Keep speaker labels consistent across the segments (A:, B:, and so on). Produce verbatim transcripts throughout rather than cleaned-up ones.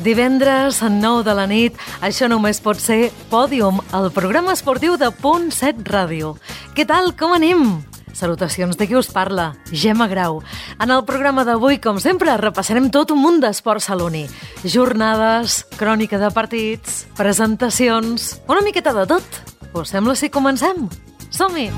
A: Divendres, a nou de la nit, això només pot ser Pòdium, el programa esportiu de Punt set Ràdio. Què tal, com anem? Salutacions de qui us parla, Gemma Grau. En el programa d'avui, com sempre, repassarem tot un munt d'esport saloní. Jornades, crònica de partits, presentacions, una miqueta de tot. Us sembla si comencem? Som-hi!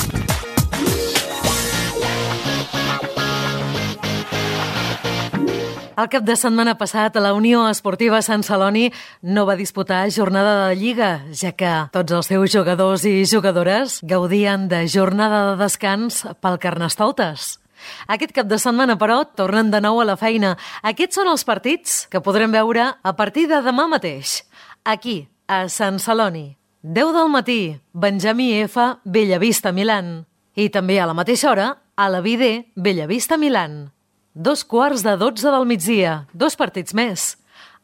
A: El cap de setmana passat, la Unió Esportiva Sant Celoni no va disputar jornada de Lliga, ja que tots els seus jugadors i jugadores gaudien de jornada de descans pel Carnestoltes. Aquest cap de setmana, però, tornen de nou a la feina. Aquests són els partits que podrem veure a partir de demà mateix. Aquí, a Sant Celoni. deu del matí, Benjamí F, Bellavista, Milan. I també a la mateixa hora, a la Vidé, Bellavista, Milan. Dos quarts de dotze del migdia, dos partits més.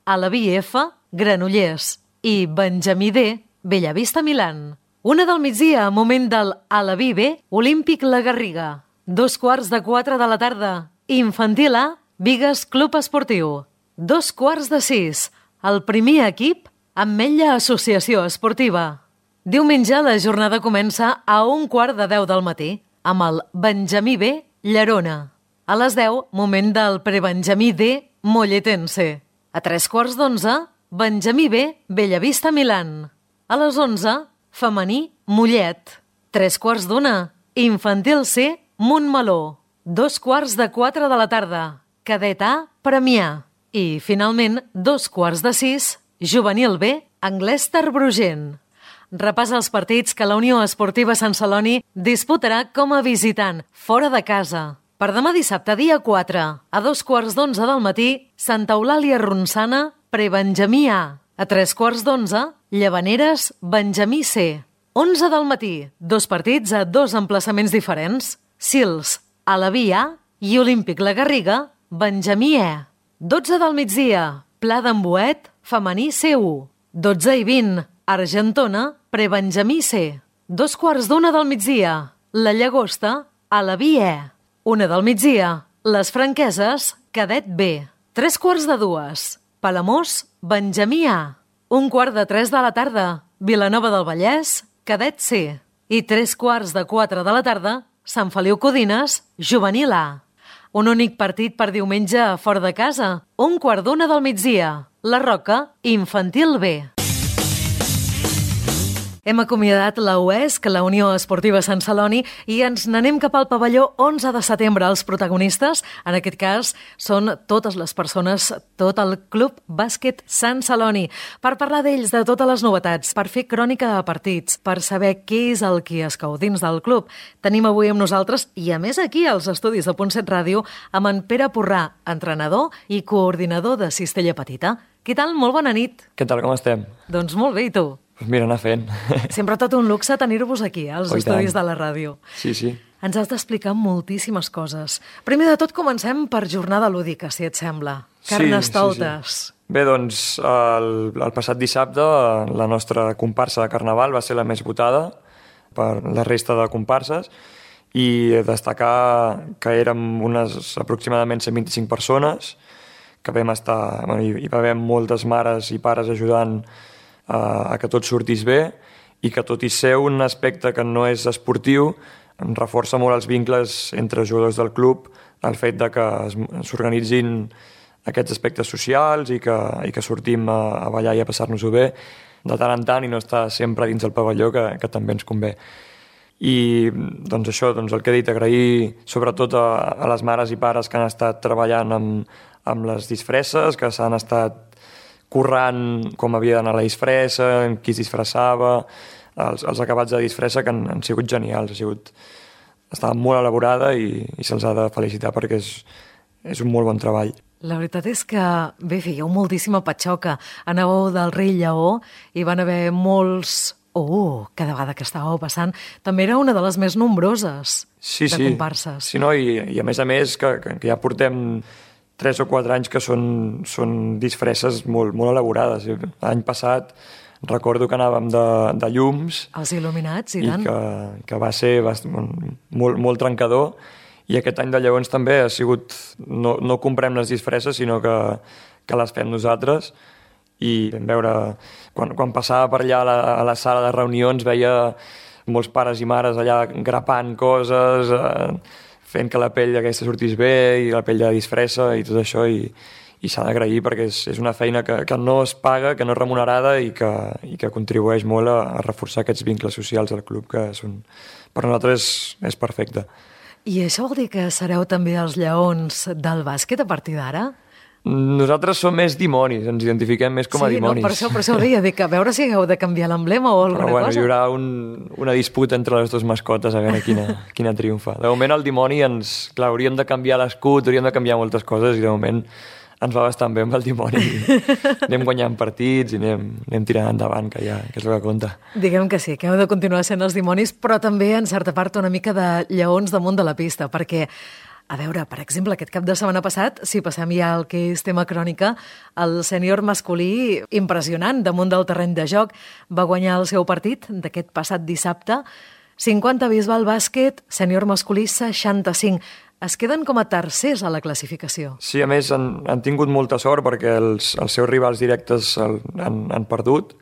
A: A la B F, Granollers i Benjamí D, Bellavista, Milan. Una del migdia, moment del A la B B, Olímpic La Garriga. Dos quarts de quatre de la tarda, Infantil A, Bigues Club Esportiu. Dos quarts de sis, el primer equip, Ametlla Associació Esportiva. Diumenge la jornada comença a un quart de deu del matí, amb el Benjamí B, Llerona. A les deu, moment del prebenjamí D, Molletense. A tres quarts d'onze, Benjamí B, Bellavista, Milan. A les onze, femení, Mollet. Tres quarts d'una, infantil C, Montmeló. Dos quarts de quatre de la tarda, cadet A, Premià. I, finalment, dos quarts de sis, juvenil B, Anglès Terbrugent. Repassa els partits que la Unió Esportiva Sant Celoni disputarà com a visitant, fora de casa. Per demà dissabte, dia quatre, a dos quarts d'onze del matí, Santa Eulàlia Ronçana, prebenjamí A. A tres quarts d'onze, Llavaneres, Benjamí C. Onze del matí, dos partits a dos emplaçaments diferents, Sils, a la B A i Olímpic La Garriga, Benjamí E. Dotze del migdia, Pla d'en Boet, femení C u. Dotze i vint, Argentona, prebenjamí C. Dos quarts d'una del migdia, La Llagosta, a la B E. Una del migdia, Les Franqueses, cadet B. Tres quarts de dues, Palamós, Benjamí A. Un quart de tres de la tarda, Vilanova del Vallès, cadet C. I tres quarts de quatre de la tarda, Sant Feliu Codines, juvenil A. Un únic partit per diumenge fora de casa, un quart d'una del migdia, La Roca, infantil B. Hem acomiadat la U E S, la Unió Esportiva Sant Celoni, i ens n'anem cap al pavelló onze de setembre. Els protagonistes, en aquest cas, són totes les persones, tot el Club Bàsquet Sant Celoni, per parlar d'ells, de totes les novetats, per fer crònica de partits, per saber què és el que es cau dins del club. Tenim avui amb nosaltres, i a més aquí als estudis de Punt set Ràdio, amb en Pere Porrà, entrenador i coordinador de Cistella Petita. Què tal? Molt bona nit.
B: Què tal, com estem?
A: Doncs molt bé, i tu?
B: Pues mira, anar fent.
A: Sempre tot un luxe tenir-vos aquí, als
B: oh,
A: estudis
B: tant.
A: de la ràdio.
B: Sí, sí.
A: Ens has d'explicar moltíssimes coses. Primer de tot, comencem per jornada lúdica, si et sembla. Carnestoltes.
B: Sí, sí, sí. Bé, doncs, el, el passat dissabte la nostra comparsa de Carnaval va ser la més votada per la resta de comparses i destacar que érem unes aproximadament cent vint-i-cinc persones, que vam estar... Bueno, hi, hi va haver moltes mares i pares ajudant a que tot sortís bé i que tot i ser un aspecte que no és esportiu reforça molt els vincles entre jugadors del club, el fet de que s'organitzin aquests aspectes socials i que, i que sortim a, a ballar i a passar-nos-ho bé de tant en tant i no estar sempre dins el pavelló, que, que també ens convé. I doncs això, doncs el que he dit, agrair sobretot a, a les mares i pares que han estat treballant amb, amb les disfresses, que s'han estat currant com havia d'anar la disfressa, qui es disfressava, els, els acabats de disfressa que han, han sigut genials, ha sigut, estava molt elaborada i, i se'ls ha de felicitar perquè és, és un molt bon treball.
A: La veritat és que, bé, fèieu moltíssima patxoca. Anàveu del Rei Lleó i van haver molts... Oh, cada vegada que estàveu passant, també era una de les més nombroses
B: sí,
A: de
B: sí.
A: comparses.
B: Sí, no? I, i a més a més que, que, que ja portem tres o quatre anys que són, són disfresses molt, molt elaborades. L'any passat recordo que anàvem de, de llums...
A: Els il·luminats, i,
B: i
A: tant.
B: I que, que va ser molt, molt trencador. I aquest any de lleons també ha sigut... No, no comprem les disfresses, sinó que, que les fem nosaltres. i veure, quan, quan passava per allà a la, a la sala de reunions veia molts pares i mares allà grapant coses, eh, fent que la pell aquesta sortís bé i la pell de disfressa i tot això, i, i s'ha d'agrair perquè és, és una feina que, que no es paga, que no és remunerada i que, i que contribueix molt a, a reforçar aquests vincles socials al club, que són, per nosaltres és, és perfecte.
A: I això vol dir que sereu també els lleons del bàsquet a partir d'ara?
B: Nosaltres som més dimonis, ens identifiquem més com a
A: sí,
B: dimonis.
A: Sí, no, per això, per això ho deia, dic, a veure si heu de canviar l'emblema o alguna
B: Però, bueno,
A: cosa.
B: Hi haurà un, una disputa entre les dues mascotes a veure quina, quina triomfa. De moment el dimoni ens... Clar, hauríem de canviar l'escut, hauríem de canviar moltes coses i de moment ens va bastant bé amb el dimoni. Anem guanyant partits i anem, anem tirant endavant, que, ja, que és el que compta.
A: Diguem que sí, que heu de continuar sent els dimonis, però també, en certa part, una mica de lleons damunt de la pista, perquè a veure, per exemple, aquest cap de setmana passat, si passem ja al que és tema crònica, el sènior masculí, impressionant, damunt del terreny de joc, va guanyar el seu partit d'aquest passat dissabte, cinquanta Bisbal Bàsquet, sènior masculí seixanta-cinc. Es queden com a tercers a la classificació.
B: Sí, a més, han, han tingut molta sort perquè els, els seus rivals directes el, han, han perdut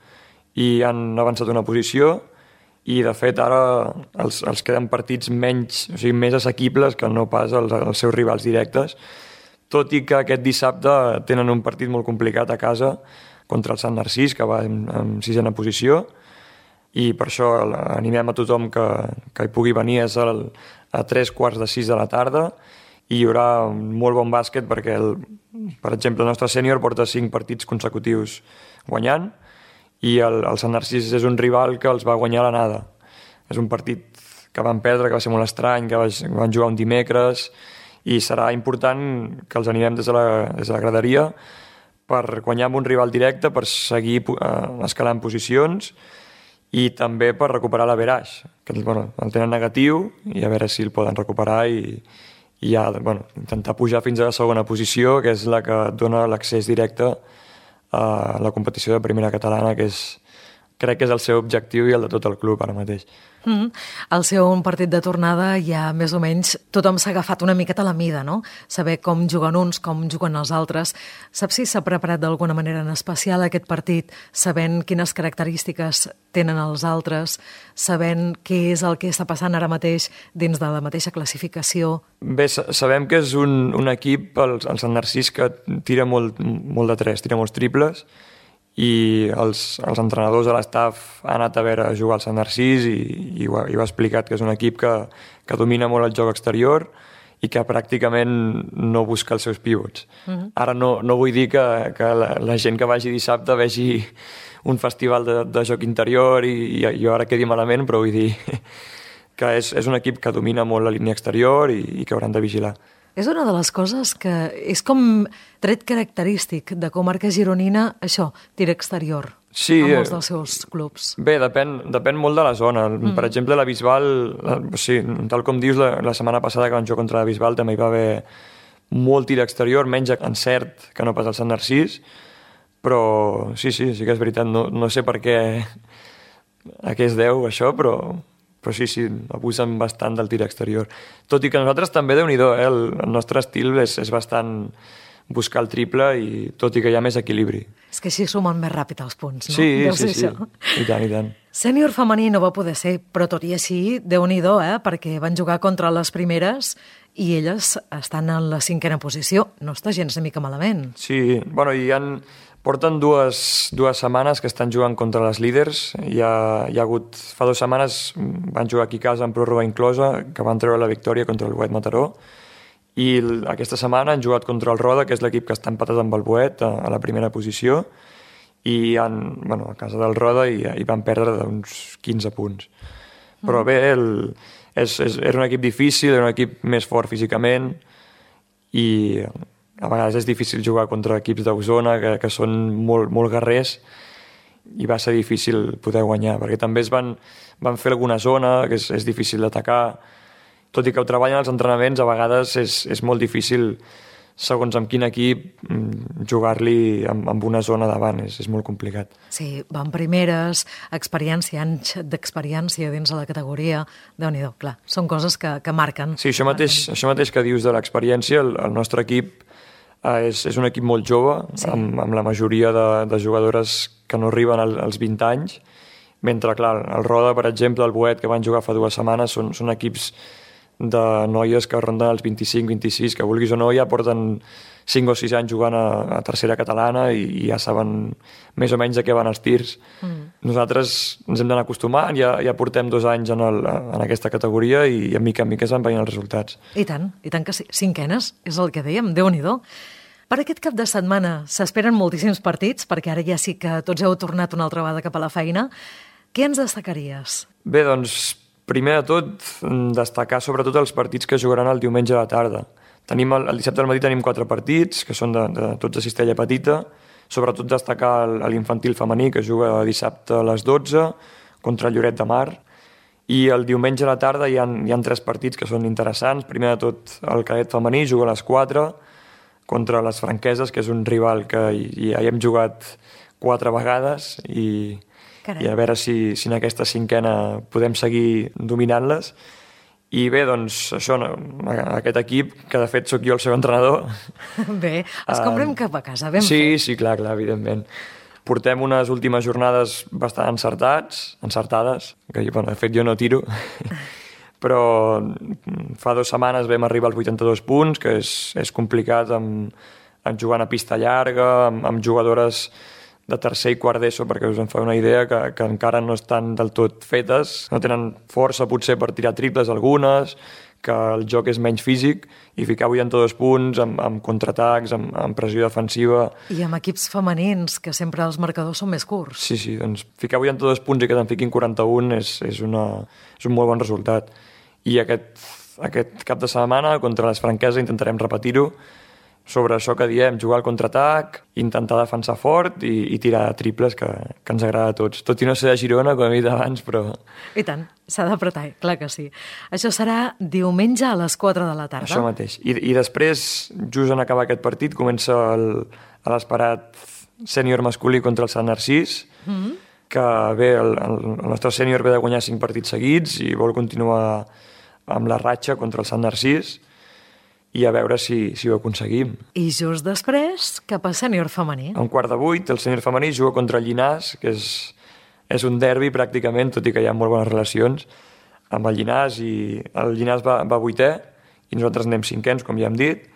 B: i han avançat una posició, i de fet ara els, els queden partits menys, o sigui, més assequibles que no pas els, els seus rivals directes, tot i que aquest dissabte tenen un partit molt complicat a casa contra el Sant Narcís, que va en, en sisena posició, i per això animem a tothom que, que hi pugui venir. És el, a tres quarts de sis de la tarda i hi haurà un molt bon bàsquet perquè, el, per exemple, el nostre sènior porta cinc partits consecutius guanyant, i el, el Sant Narcís és un rival que els va guanyar a l'anada. És un partit que van perdre, que va ser molt estrany, que van jugar un dimecres, i serà important que els animem des de la, des de la graderia per guanyar amb un rival directe, per seguir eh, escalant posicions i també per recuperar l'averaix, que bueno, el tenen negatiu, i a veure si el poden recuperar i, i ja, bueno, intentar pujar fins a la segona posició, que és la que dona l'accés directe a la competició de primera catalana, que és, crec que és el seu objectiu i el de tot el club ara mateix.
A: Mm-hmm. Al ser un partit de tornada ja més o menys tothom s'ha agafat una miqueta a la mida, no? Saber com juguen uns, com juguen els altres. Saps si s'ha preparat d'alguna manera en especial aquest partit, sabent quines característiques tenen els altres, sabent què és el que està passant ara mateix dins de la mateixa classificació?
B: Bé, sabem que és un, un equip, el, el Sant Narcís, que tira molt, molt de tres, tira molts triples, i els, els entrenadors de l'estaf han anat a veure a jugar al Sant Narcís i, i, ho, i ho ha explicat, que és un equip que, que domina molt el joc exterior i que pràcticament no busca els seus pivots. Uh-huh. Ara no, no vull dir que, que la, la gent que vagi dissabte vegi un festival de, de joc interior i, i, i ara quedi malament, però vull dir que és, és un equip que domina molt la línia exterior i, i que hauran de vigilar.
A: És una de les coses que és com tret característic de comarca gironina, això, tir exterior,
B: sí,
A: a molts dels seus clubs.
B: Bé, depèn, depèn molt de la zona. Mm. Per exemple, la Bisbal, la, sí, tal com dius, la, la setmana passada que van jugar contra la Bisbal també hi va haver molt tir exterior, menys encert que no pas al Sant Narcís, però sí, sí, sí que és veritat. No, no sé per què, a què es deu això, però... però sí, sí, abusen bastant del tir exterior. Tot i que nosaltres també, Déu-n'hi-do, eh? el, el nostre estil és, és bastant buscar el triple, i tot i que hi ha més equilibri.
A: És que així sumen més ràpid els punts, no?
B: Sí,
A: Deu
B: sí, sí,
A: això.
B: i tant, i tant.
A: Sènior femení no va poder ser, però tot i així, Déu-n'hi-do, eh? Perquè van jugar contra les primeres i elles estan en la cinquena posició. No està gens una mica malament.
B: Sí, bueno, i han... Porten dues, dues setmanes que estan jugant contra les líders. Hi ha, hi ha hagut, fa dues setmanes van jugar aquí a casa en pròrroga inclosa, que van treure la victòria contra el Boet Mataró, i aquesta setmana han jugat contra el Roda, que és l'equip que està empatat amb el Boet a, a la primera posició, i han, bueno, a casa del Roda i, i van perdre d'uns quinze punts. Però bé, el, és, és, era un equip difícil, era un equip més fort físicament, i a vegades és difícil jugar contra equips d'Osona que, que són molt, molt guerrers, i va ser difícil poder guanyar, perquè també es van, van fer alguna zona que és, és difícil d'atacar. Tot i que ho treballen als entrenaments, a vegades és, és molt difícil, segons amb quin equip, jugar-li amb, amb una zona davant, és, és molt complicat.
A: Sí, van primeres, experiència, anys d'experiència dins de la categoria, Déu-n'hi-do, clar, són coses que, que marquen.
B: Sí, això mateix, això mateix que dius de l'experiència, el, el nostre equip Uh, és, és un equip molt jove, sí. amb, amb la majoria de, de jugadores que no arriben al, als vint anys, mentre, clar, el Roda, per exemple, el Boet, que van jugar fa dues setmanes, són, són equips de noies que ronden els vint-i-cinc vint-i-sis, que vulguis o no ja porten cinc o sis anys jugant a, a tercera catalana i, i ja saben més o menys de què van els tirs. Mm. Nosaltres ens hem d'anar acostumant, ja, ja portem dos anys en, el, en aquesta categoria i a mica en mica es van veient els resultats.
A: I tant, i tant que sí. Cinquenes, és el que dèiem, Déu-n'hi-do. Per aquest cap de setmana s'esperen moltíssims partits, perquè ara ja sí que tots heu tornat una altra vegada cap a la feina. Què ens destacaries?
B: Bé, doncs, primer de tot, destacar sobretot els partits que jugaran el diumenge a la tarda. Tenim el, el dissabte al matí tenim quatre partits, que són de, de tots de cistella petita, sobretot destacar l'infantil femení, que juga dissabte a les dotze, contra el Lloret de Mar, i el diumenge a la tarda hi ha, hi ha tres partits que són interessants. Primer de tot, el cadet femení juga a les quatre, contra les franqueses, que és un rival que ja hi hem jugat quatre vegades, i... Carai. I a veure si, si en aquesta cinquena podem seguir dominant-les. I bé, doncs, això, aquest equip, que de fet sóc jo el seu entrenador...
A: Bé, es comprem uh, cap a casa, ben
B: sí,
A: fet.
B: Sí, clar, clar, evidentment. Portem unes últimes jornades bastant encertats, encertades, que bueno, de fet jo no tiro, però fa dues setmanes vam arribar als vuitanta-dos punts, que és, és complicat amb, amb jugant a pista llarga, amb, amb jugadores de tercer i quart d'ESO, perquè us en fa una idea que, que encara no estan del tot fetes, no tenen força potser per tirar triples algunes, que el joc és menys físic, i ficar vuitanta-dos punts amb, amb contraatacs, amb, amb pressió defensiva...
A: I amb equips femenins, que sempre els marcadors són més curts.
B: Sí, sí, doncs ficar vuitanta-dos punts i que te'n fiquin quaranta-un és, és, una, és un molt bon resultat. I aquest, aquest cap de setmana, contra les franqueses, intentarem repetir-ho, sobre això que diem, jugar al contraatac, intentar defensar fort i, i tirar triples, que, que ens agrada a tots. Tot i no ser de Girona, com he dit abans, però...
A: I tant, s'ha d'apretar, clar que sí. Això serà diumenge a les quatre de la tarda.
B: Això mateix. I, i després, just en acabar aquest partit, comença l'esperat sènior masculí contra el Sant Narcís, mm-hmm. que bé, el, el, el nostre sènior ve de guanyar cinc partits seguits i vol continuar amb la ratxa contra el Sant Narcís, i a veure si, si ho aconseguim.
A: I just després, cap a sènior femení.
B: A un quart de vuit, el sènior femení juga contra el Llinàs, que és, és un derbi pràcticament, tot i que hi ha molt bones relacions amb el Llinàs, i el Llinàs va, va vuitè, i nosaltres anem cinquens, com ja hem dit,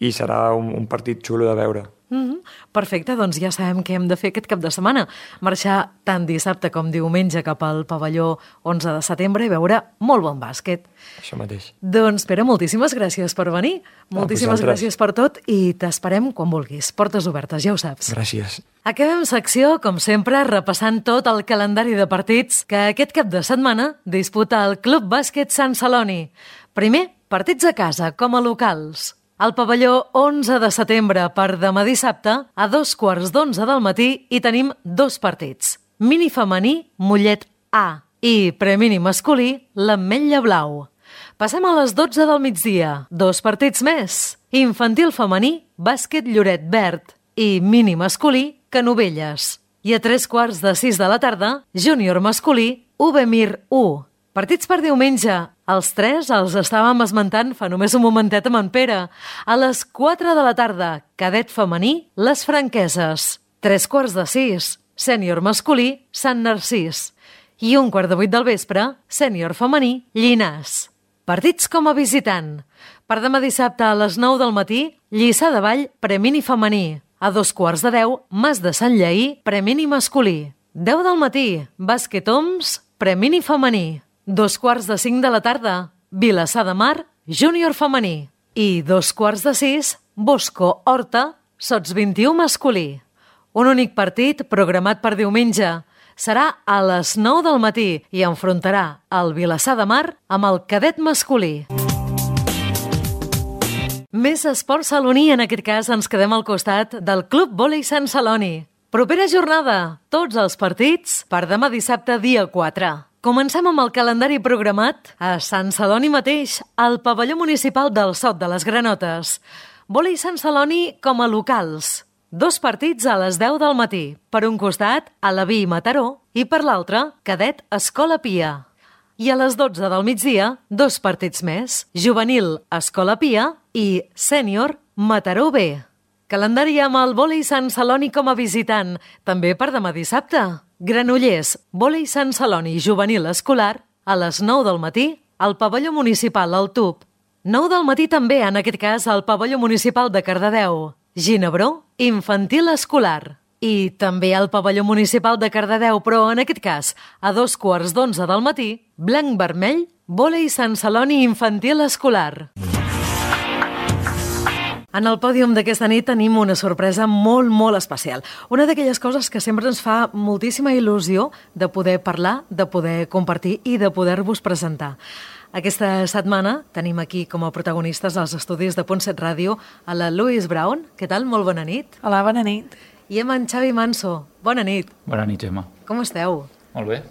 B: i serà un, un partit xulo de veure.
A: Mm-hmm. Perfecte, doncs ja sabem què hem de fer aquest cap de setmana. Marxar tant dissabte com diumenge cap al pavelló onze de setembre i veure molt bon bàsquet.
B: Això mateix.
A: Doncs Pere, moltíssimes gràcies per venir. Moltíssimes ah, gràcies per tot i t'esperem quan vulguis. Portes obertes, ja ho saps.
B: Gràcies.
A: Acabem secció, com sempre, repassant tot el calendari de partits que aquest cap de setmana disputa el Club Bàsquet Sant Celoni. Primer, partits a casa, com a locals. Al pavelló onze de setembre per demà dissabte, a dos quarts d'onze del matí, hi tenim dos partits. Mini femení, Mollet A, i premini masculí, l'Ametlla Blau. Passem a les dotze del migdia, dos partits més. Infantil femení, Bàsquet Lloret Verd, i mini masculí, Canovelles. I a tres quarts de sis de la tarda, júnior masculí, U B Mir u. Partits per diumenge. Els tres els estàvem esmentant fa només un momentet amb en Pere. A les quatre de la tarda, cadet femení, les Franqueses. Tres quarts de sis, sènior masculí, Sant Narcís. I un quart de vuit del vespre, sènior femení, Llinàs. Partits com a visitant. Per demà dissabte a les nou del matí, Lliçà de Vall, premini femení. A dos quarts de deu, Mas de Sant Lleí, premini masculí. Deu del matí, Bàsquet Oms, premini femení. Dos quarts de cinc de la tarda, Vilassar de Mar, júnior femení. I dos quarts de sis, Bosco Horta, sots vint-i-u masculí. Un únic partit programat per diumenge. Serà a les nou del matí i enfrontarà el Vilassar de Mar amb el cadet masculí. Més esport saloní, en aquest cas ens quedem al costat del Club Vòlei Sant Celoni. Propera jornada, tots els partits per demà dissabte dia quatre. Comencem amb el calendari programat a Sant Celoni mateix, al pavelló municipal del Sot de les Granotes. Vòlei Sant Celoni com a locals. Dos partits a les deu del matí. Per un costat, Alaví i Mataró, i per l'altre, cadet Escola Pia. I a les dotze del migdia, dos partits més. Juvenil Escola Pia i sènior Mataró B. Calendari amb el vòlei Sant Celoni com a visitant, també per demà dissabte. Granollers, vòlei Sant Celoni juvenil escolar, a les nou del matí, al pavelló municipal al Tub. nou del matí també, en aquest cas, al pavelló municipal de Cardedeu. Ginebró, infantil escolar. I també al pavelló municipal de Cardedeu, però en aquest cas, a dos quarts d'onze del matí, blanc-vermell, vòlei Sant Celoni infantil escolar. En el pòdium d'aquesta nit tenim una sorpresa molt, molt especial. Una d'aquelles coses que sempre ens fa moltíssima il·lusió de poder parlar, de poder compartir i de poder-vos presentar. Aquesta setmana tenim aquí com a protagonistes als estudis de Punt set Ràdio a la Louise Brown. Què tal? Molt bona nit.
C: Hola, bona nit.
A: I amb en Xavi Manso. Bona nit.
D: Bona nit, Gemma.
A: Com esteu?
D: Molt bé.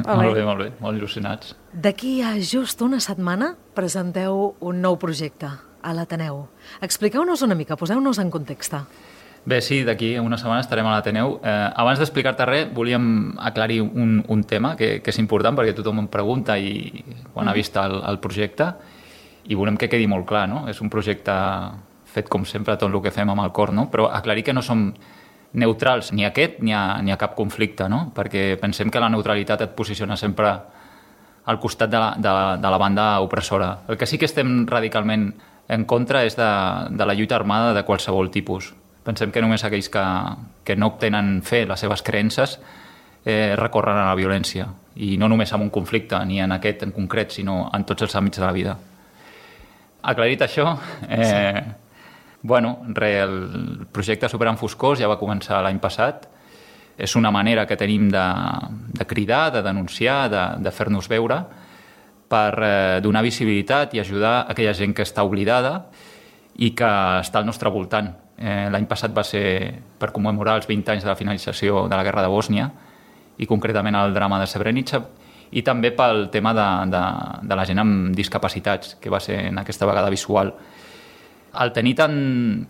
C: Molt
D: molt
C: bé.
D: bé, molt bé. Molt il·lusionats.
A: D'aquí a just una setmana presenteu un nou projecte a l'Ateneu. Expliqueu-nos una mica, poseu-nos en context.
D: Bé, sí, d'aquí a una setmana estarem a l'Ateneu. Eh, abans d'explicar-te res, volíem aclarir un, un tema que, que és important perquè tothom em pregunta i quan mm. ha vist el, el projecte i volem que quedi molt clar, no? És un projecte fet com sempre tot el que fem amb el cor, no? Però aclarir que no som neutrals ni a aquest ni a, ni a cap conflicte, no? Perquè pensem que la neutralitat et posiciona sempre al costat de la, de, la, de la banda opressora. El que sí que estem radicalment en contra és de, de la lluita armada de qualsevol tipus. Pensem que només aquells que, que no obtenen fe les seves creences eh, recorren a la violència. I no només en un conflicte, ni en aquest en concret, sinó en tots els àmbits de la vida. Aclarit això, eh, sí. bueno, re, el projecte Superant Foscors ja va començar l'any passat. És una manera que tenim de, de cridar, de denunciar, de, de fer-nos veure, per eh, donar visibilitat i ajudar aquella gent que està oblidada i que està al nostre voltant. Eh, L'any passat va ser per commemorar els vint anys de la finalització de la Guerra de Bòsnia i concretament el drama de Srebrenica i també pel tema de, de, de la gent amb discapacitats, que va ser en aquesta vegada visual. Al tenir tant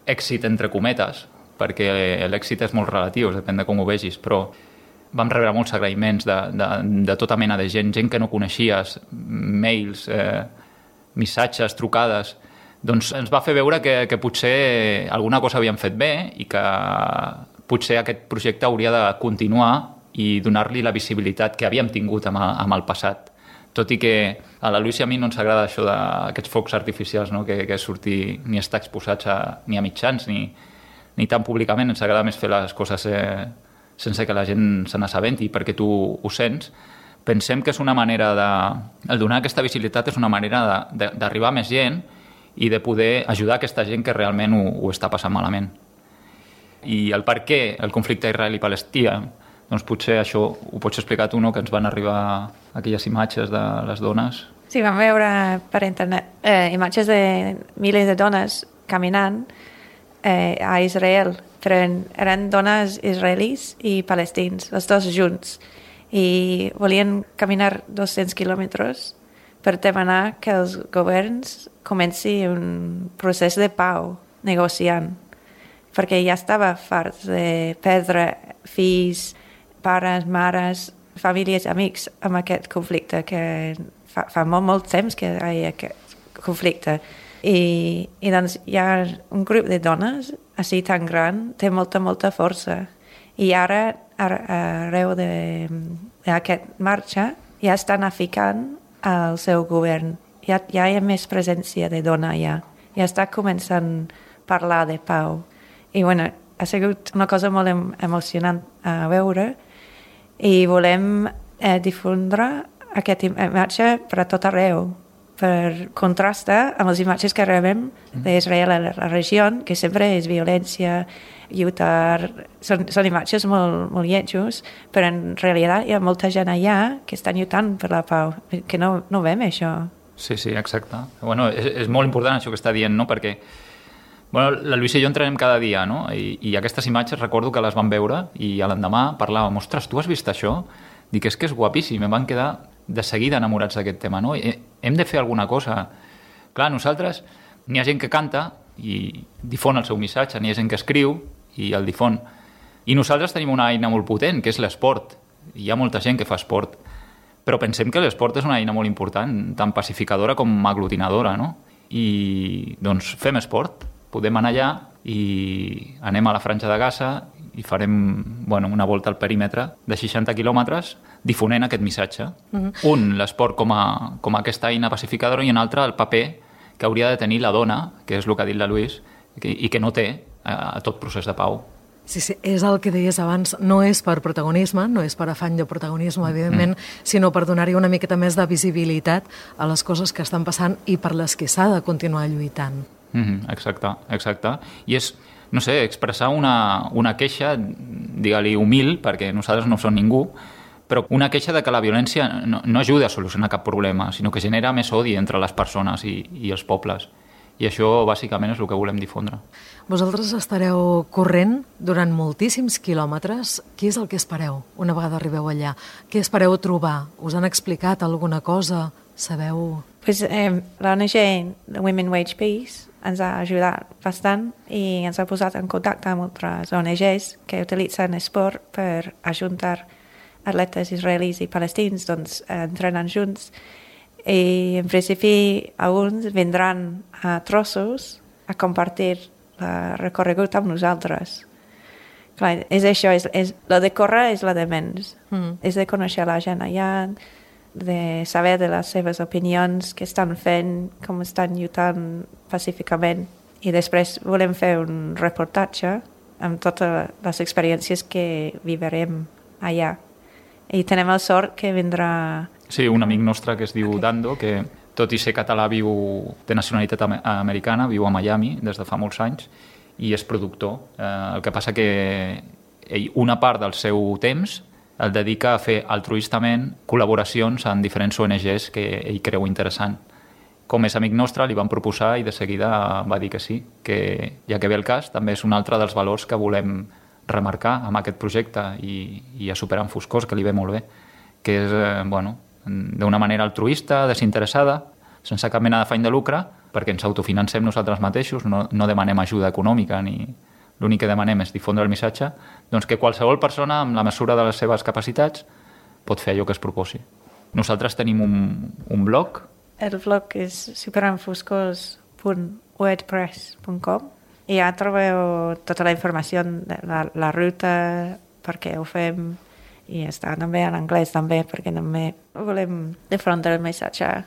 D: èxit, entre cometes, perquè l'èxit és molt relatiu, depèn de com ho vegis, però vam rebre molts agraïments de, de, de tota mena de gent, gent que no coneixies, mails, eh, missatges, trucades. Doncs ens va fer veure que, que potser alguna cosa havíem fet bé i que potser aquest projecte hauria de continuar i donar-li la visibilitat que havíem tingut amb, amb el passat. Tot i que a la Lluís i a mi no ens agrada això d'aquests focs artificials, no? que, que sortir ni estar exposats a, ni a mitjans ni, ni tan públicament. Ens agrada més fer les coses eh, sense que la gent se n'assabenti, perquè tu ho sents. Pensem que és una manera de... El donar aquesta visibilitat és una manera d'arribar a més gent i de poder ajudar aquesta gent que realment ho, ho està passant malament. I el per què el conflicte israeli-palestí, doncs potser això ho pots explicar tu, no? Que ens van arribar aquelles imatges de les dones.
C: Sí, vam veure per internet eh, imatges de milers de dones caminant eh, a Israel, però eren dones israelis i palestins, els dos junts, i volien caminar dos-cents quilòmetres per demanar que els governs comenci un procés de pau negociant, perquè ja estava farts de perdre fills, pares, mares, famílies, amics amb aquest conflicte, que fa, fa molt, molt temps que hi ha aquest conflicte. I, i doncs hi ha un grup de dones així tan gran, té molta, molta força. I ara, arreu d'aquest marxa, ja estan aficant al seu govern. Ja, ja hi ha més presència de dona, ja. Ja està començant a parlar de pau. I bueno, ha sigut una cosa molt em emocionant a veure i volem eh, difondre aquesta imatge per a tot arreu, per contrastar amb les imatges que rebem d'Israel a la regió, que sempre és violència, lluitar... Són, són imatges molt, molt lletjos, però en realitat hi ha molta gent allà que estan lluitant per la pau, que no, no veiem això.
D: Sí, sí, exacte. Bueno, és, és molt important això que està dient, no? Perquè bueno, la Lluís i jo entrenem cada dia, no? I, i aquestes imatges recordo que les vam veure i a l'endemà parlàvem, ostres, tu has vist això? Dic, és que és guapíssim, em van quedar de seguida enamorats d'aquest tema, no? I hem de fer alguna cosa. Clar, nosaltres, n'hi ha gent que canta i difon el seu missatge, n'hi ha gent que escriu i el difon. I nosaltres tenim una eina molt potent, que és l'esport. Hi ha molta gent que fa esport. Però pensem que l'esport és una eina molt important, tant pacificadora com aglutinadora, no? I, doncs, fem esport. Podem anar allà i anem a la Franja de Gaza i farem bueno, una volta al perímetre de seixanta quilòmetres difonent aquest missatge. Mm-hmm. Un, l'esport com a, com a aquesta eina pacificadora, i un altre, el paper que hauria de tenir la dona, que és el que ha dit la Louise, i que no té a tot procés de pau.
A: Sí, sí, és el que deies abans, no és per protagonisme, no és per afany de protagonisme, evidentment, mm. sinó per donar-hi una miqueta més de visibilitat a les coses que estan passant i per les que s'ha de continuar lluitant.
D: Mm-hmm, exacte, exacte. I és, no sé, expressar una, una queixa, digue-li humil, perquè nosaltres no som ningú, però una queixa de que la violència no, no ajuda a solucionar cap problema, sinó que genera més odi entre les persones i, i els pobles. I això, bàsicament, és el que volem difondre.
A: Vosaltres estareu corrent durant moltíssims quilòmetres. Què és el que espereu una vegada arribeu allà? Què espereu trobar? Us han explicat alguna cosa? Sabeu?
C: Pues, eh, l'O N G Women Wage Peace ens ha ajudat bastant i ens ha posat en contacte amb altres O N Gs que utilitzen esport per ajuntar atletes israelis i palestins, doncs entrenen junts. I en principi alguns vindran a trossos a compartir el recorregut amb nosaltres. Clar, és això, és, és, la de córrer és la de menys. Mm. És de conèixer la gent allà, de saber de les seves opinions, què estan fent, com estan lluitant pacíficament. I després volem fer un reportatge amb totes les experiències que vivirem allà. I tenem el sort que vindrà...
D: Sí, un amic nostre que es diu okay. Dando, que tot i ser català viu de nacionalitat americana, viu a Miami des de fa molts anys i és productor. Eh, el que passa que ell una part del seu temps el dedica a fer altruistament col·laboracions en diferents O N Gs que ell creu interessant. Com és amic nostre, li vam proposar i de seguida va dir que sí, que ja que ve el cas, també és un altre dels valors que volem remarcar amb aquest projecte i, i a Superant Foscors, que li ve molt bé, que és, eh, bueno, d'una manera altruista, desinteressada, sense cap mena d'afany de lucre, perquè ens autofinancem nosaltres mateixos, no, no demanem ajuda econòmica, ni l'únic que demanem és difondre el missatge, doncs que qualsevol persona, amb la mesura de les seves capacitats, pot fer allò que es proposi. Nosaltres tenim un, un blog.
C: El blog és superant foscors punt wordpress punt com i ja trobeu tota la informació de la, la ruta, per què ho fem, i està també en anglès també, perquè també volem difondre el missatge a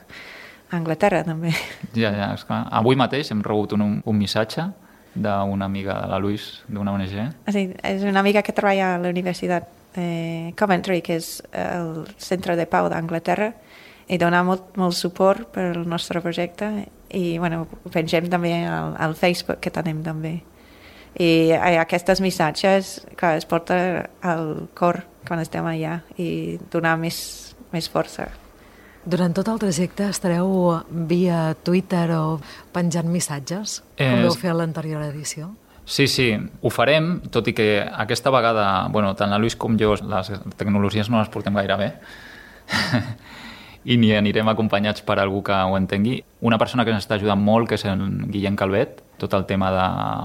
C: Anglaterra també.
D: Ja, ja, esclar. Avui mateix hem rebut un, un missatge d'una amiga de la Louise, d'una O N G.
C: Sí, és una amiga que treballa a la Universitat de Coventry, que és el centre de pau d'Anglaterra, i dona molt, molt suport per al nostre projecte, i bueno, ho pengem també al, al Facebook, que tenim també. I aquests missatges, clar, es porta al cor quan estem allà i donar més, més força.
A: Durant tot el trajecte estareu via Twitter o penjant missatges, com eh, vau fer a l'anterior edició?
D: Sí, sí, ho farem, tot i que aquesta vegada, bueno, tant la Louise com jo, les tecnologies no les portem gaire bé, i ni anirem acompanyats per algú que ho entengui. Una persona que ens està ajudant molt, que és en Guillem Calvet, tot el tema de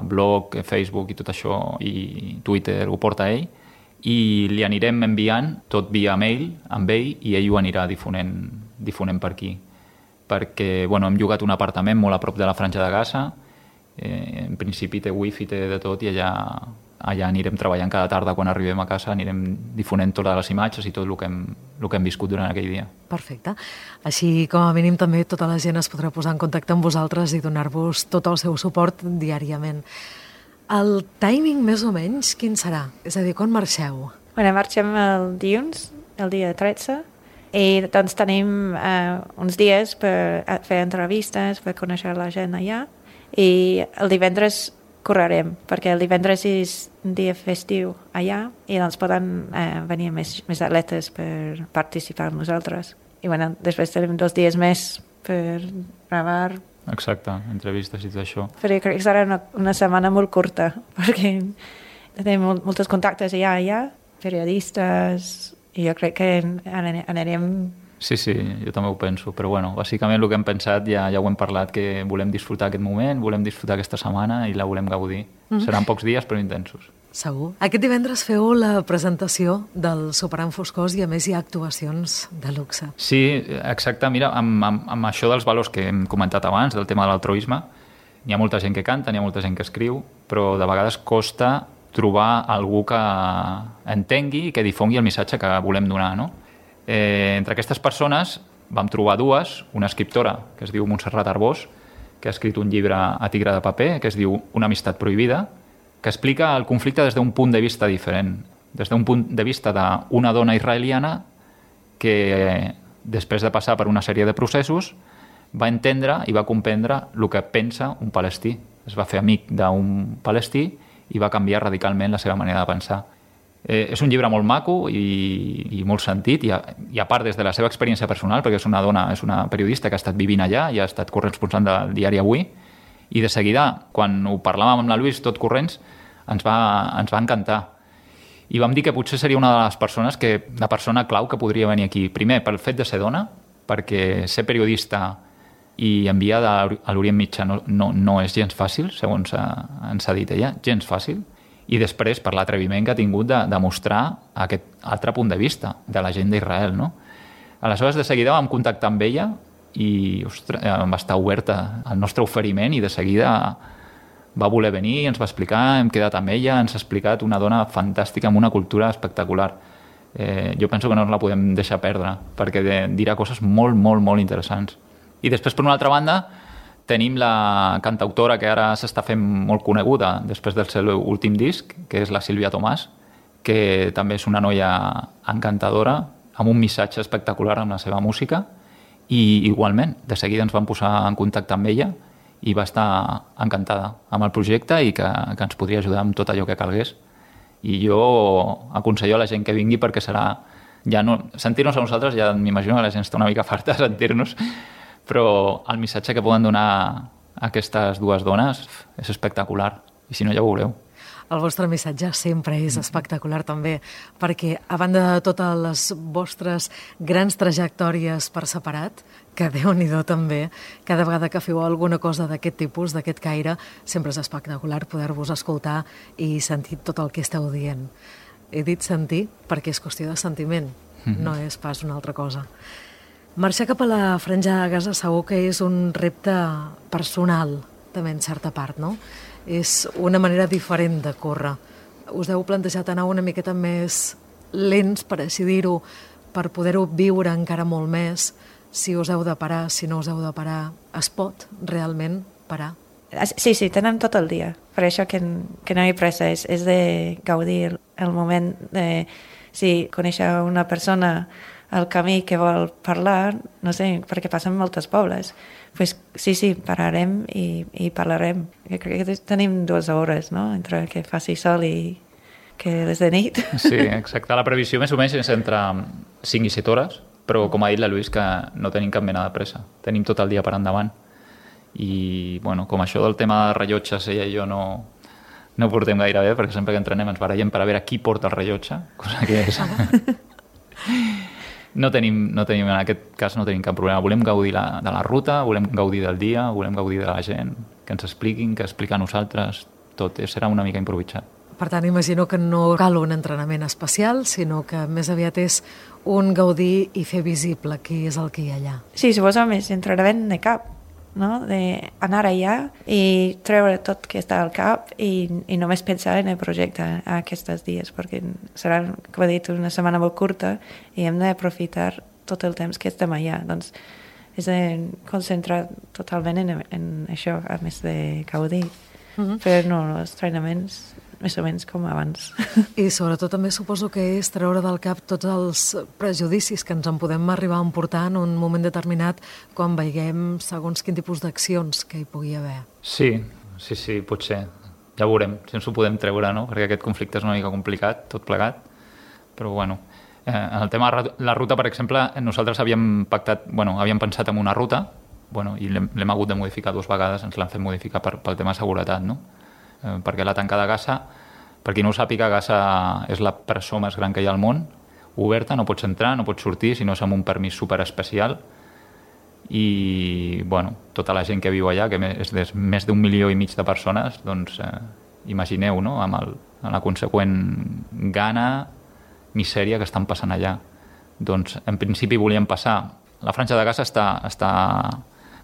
D: blog, Facebook i tot això, i Twitter ho porta ell, i li anirem enviant tot via mail amb ell i ell ho anirà difonent, difonent per aquí. Perquè bueno, hem llogat un apartament molt a prop de la Franja de Gaza, eh, en principi té wifi, té de tot, i allà, allà anirem treballant cada tarda quan arribem a casa, anirem difonent totes les imatges i tot el que hem, el que hem viscut durant aquell dia.
A: Perfecte. Així, com a mínim, també tota la gent es podrà posar en contacte amb vosaltres i donar-vos tot el seu suport diàriament. El timing, més o menys, quin serà? És a dir, quan marxeu?
C: Bueno, marxem el dilluns, el dia tretze, i doncs tenim eh, uns dies per fer entrevistes, per conèixer la gent allà, i el divendres correrem, perquè el divendres és un dia festiu allà i doncs poden eh, venir més, més atletes per participar amb nosaltres. I bueno, després tenim dos dies més per gravar.
D: Exacte, entrevistes i tot això.
C: Però crec que serà una, una setmana molt curta, perquè tenim molts contactes allà, allà, periodistes, i jo crec que anirem...
D: Sí, sí, jo també ho penso, però bueno, bàsicament el que hem pensat ja, ja ho hem parlat, que volem disfrutar aquest moment, volem disfrutar aquesta setmana i la volem gaudir. Mm. Seran pocs dies però intensos.
A: Segur. Aquest divendres feu la presentació del Superant Foscors i a més hi ha actuacions de luxe.
D: Sí, exacte. Mira, amb, amb, amb això dels valors que hem comentat abans, del tema de l'altruisme, N'hi ha molta gent que canta, n'hi ha molta gent que escriu, però de vegades costa trobar algú que entengui i que difongui el missatge que volem donar, no? Eh, entre aquestes persones vam trobar dues, una escriptora que es diu Montserrat Arbós, que ha escrit un llibre a tigre de paper que es diu Una amistat prohibida, que explica el conflicte des d'un punt de vista diferent, des d'un punt de vista d'una dona israeliana que, després de passar per una sèrie de processos, va entendre i va comprendre el que pensa un palestí. Es va fer amic d'un palestí i va canviar radicalment la seva manera de pensar. Eh, és un llibre molt maco i, i molt sentit, i a, i a part des de la seva experiència personal, perquè és una dona, és una periodista que ha estat vivint allà i ha estat corresponsal del diari Avui, i de seguida, quan ho parlàvem amb la Louise tot corrents, ens va, ens va encantar. I vam dir que potser seria una de les persones que, la persona clau que podria venir aquí. Primer, pel fet de ser dona, perquè ser periodista i enviar a l'Orient Mitjà no, no, no és gens fàcil, segons ens ha dit ella, gens fàcil. I després per l'atreviment que ha tingut de, de mostrar aquest altre punt de vista de la gent d'Israel, no? Aleshores, de seguida vam contactar amb ella i ostres, va estar oberta al nostre oferiment i de seguida va voler venir, ens va explicar, hem quedat amb ella, ens ha explicat una dona fantàstica amb una cultura espectacular. Eh, jo penso que no ens la podem deixar perdre, perquè de, dirà coses molt, molt, molt interessants. I després, per una altra banda, tenim la cantautora que ara s'està fent molt coneguda després del seu últim disc, que és la Sílvia Tomàs, que també és una noia encantadora, amb un missatge espectacular amb la seva música, i igualment, de seguida ens vam posar en contacte amb ella i va estar encantada amb el projecte i que, que ens podria ajudar amb tot allò que calgués. I jo aconsello a la gent que vingui perquè serà... Ja no, sentir-nos a nosaltres, ja m'imagino que la gent està una mica farta de sentir-nos, però el missatge que poden donar a aquestes dues dones és espectacular, i si no ja ho veureu.
A: El vostre missatge sempre és espectacular també, perquè a banda de totes les vostres grans trajectòries per separat, que Déu-n'hi-do també, cada vegada que feu alguna cosa d'aquest tipus, d'aquest caire, sempre és espectacular poder-vos escoltar i sentir tot el que esteu dient. He dit sentir perquè és qüestió de sentiment, mm-hmm. no és pas una altra cosa. Marxar cap a la Franja de Gaza segur que és un repte personal, també en certa part, no? És una manera diferent de córrer. Us heu plantejat anar una miqueta més lents, per així dir-ho, per poder-ho viure encara molt més, si us heu de parar, si no us heu de parar. Es pot realment parar?
C: Sí, sí, tenem tot el dia. Per això que, que no hi ha pressa, és, és de gaudir el, el moment de... Si conèixer una persona al camí que vol parlar, no sé, perquè passen moltes pobles, pues, sí, sí, pararem i, i parlarem. Jo crec que tenim dues hores, no?, entre que faci sol i que és de nit.
D: Sí, exacte. La previsió més o menys és entre cinc i set hores, però com ha dit la Louise, que no tenim cap mena de pressa. Tenim tot el dia per endavant. I, bueno, com això del tema de rellotges, ella i jo no, no ho portem gaire bé, perquè sempre que entrenem ens barallem per a veure qui porta el rellotge, cosa que és... No tenim, no tenim, en aquest cas no tenim cap problema. Volem gaudir la, de la ruta, volem gaudir del dia, volem gaudir de la gent, que ens expliquin, que explica a nosaltres, tot serà una mica improvisat.
A: Per tant, imagino que no cal un entrenament especial, sinó que més aviat és un gaudir i fer visible qui és el que hi ha allà.
C: Sí, suposo més entrenament de cap, no? D'anar allà i treure tot que està al cap i, i només pensar en el projecte aquests dies, perquè serà, com he dit, una setmana molt curta i hem d'aprofitar tot el temps que estem allà. Doncs és de concentrar totalment en, en això, a més de gaudir. Mm-hmm. Però no, els entrenaments més o menys com abans.
A: I sobretot també suposo que és treure del cap tots els prejudicis que ens en podem arribar a emportar en un moment determinat quan veiem segons quin tipus d'accions que hi pugui haver.
D: Sí, sí, sí, potser. Ja veurem, si ens ho podem treure, no? Perquè aquest conflicte és una mica complicat, tot plegat. Però, bueno, eh, en el tema de la ruta, per exemple, nosaltres havíem pactat, bueno, havíem pensat en una ruta, bueno, i l'hem hagut de modificar dues vegades, ens l'han fet modificar per, pel tema de seguretat, no? Eh, perquè la tancada de Gaza, per qui no ho sàpiga, Gaza és la presó més gran que hi ha al món, oberta, no pots entrar, no pots sortir, si no és amb un permís superespecial, i bueno, tota la gent que viu allà, que és de més d'un milió i mig de persones, doncs eh, imagineu, no?, amb, el, amb la conseqüent gana, misèria que estan passant allà. Doncs en principi volíem passar. La Franja de Gaza està, està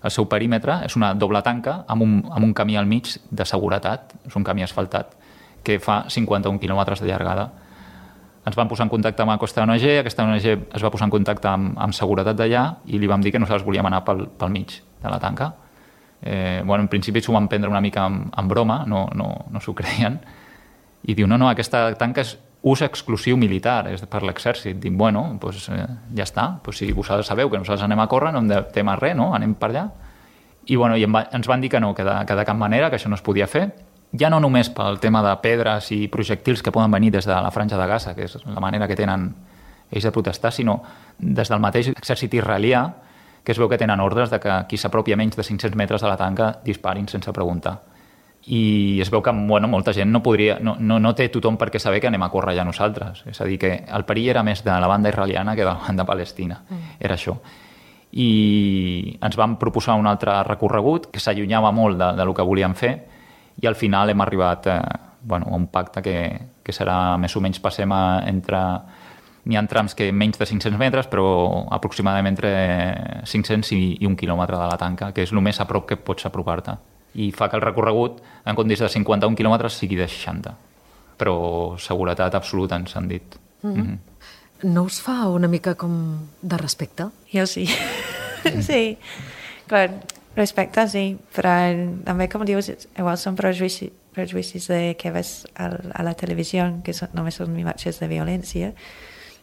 D: el seu perímetre és una doble tanca amb un, amb un camí al mig de seguretat, és un camí asfaltat, que fa cinquanta-un quilòmetres de llargada. Ens vam posar en contacte amb aquesta O N G, aquesta O N G es va posar en contacte amb, amb seguretat d'allà i li vam dir que nosaltres volíem anar pel, pel mig de la tanca. Eh, bueno, en principi s'ho van prendre una mica amb, amb broma, no, no, no s'ho creien, i diu, no, no, aquesta tanca és ús exclusiu militar, és per l'exèrcit. Dic, bueno, doncs eh, ja està, doncs si vosaltres sabeu que nosaltres anem a córrer, no hem de temer res, no? Anem per allà. I, bueno, i ens van dir que no, que de, que de cap manera, que això no es podia fer, ja no només pel tema de pedres i projectils que poden venir des de la franja de Gaza, que és la manera que tenen ells de protestar, sinó des del mateix exèrcit israelià, que es veu que tenen ordres de que qui s'apropi a menys de cinc-cents metres de la tanca disparin sense preguntar. I es veu que bueno, molta gent no, podria, no, no, no té tothom per què saber que anem a córrer ja nosaltres. És a dir, que el perill era més de la banda israeliana que de la banda palestina. Mm. Era això. I ens van proposar un altre recorregut que s'allunyava molt de, de lo que volíem fer i al final hem arribat eh, bueno, a un pacte que, que serà més o menys passem a, entre... N'hi ha trams que menys de cinc-cents metres, però aproximadament entre cinc-cents i, i un quilòmetre de la tanca, que és el més a prop que pots apropar-te. I fa que el recorregut, en comptes de cinquanta-un quilòmetres, sigui de seixanta. Però seguretat absoluta, ens han dit. Mm-hmm. Mm-hmm.
A: No us fa una mica com de respecte?
C: Jo sí. Sí. Clar, respecte sí, però també, com dius, igual són prejudicis, prejudicis de que ves a, a la televisió, que són, només són imatges de violència,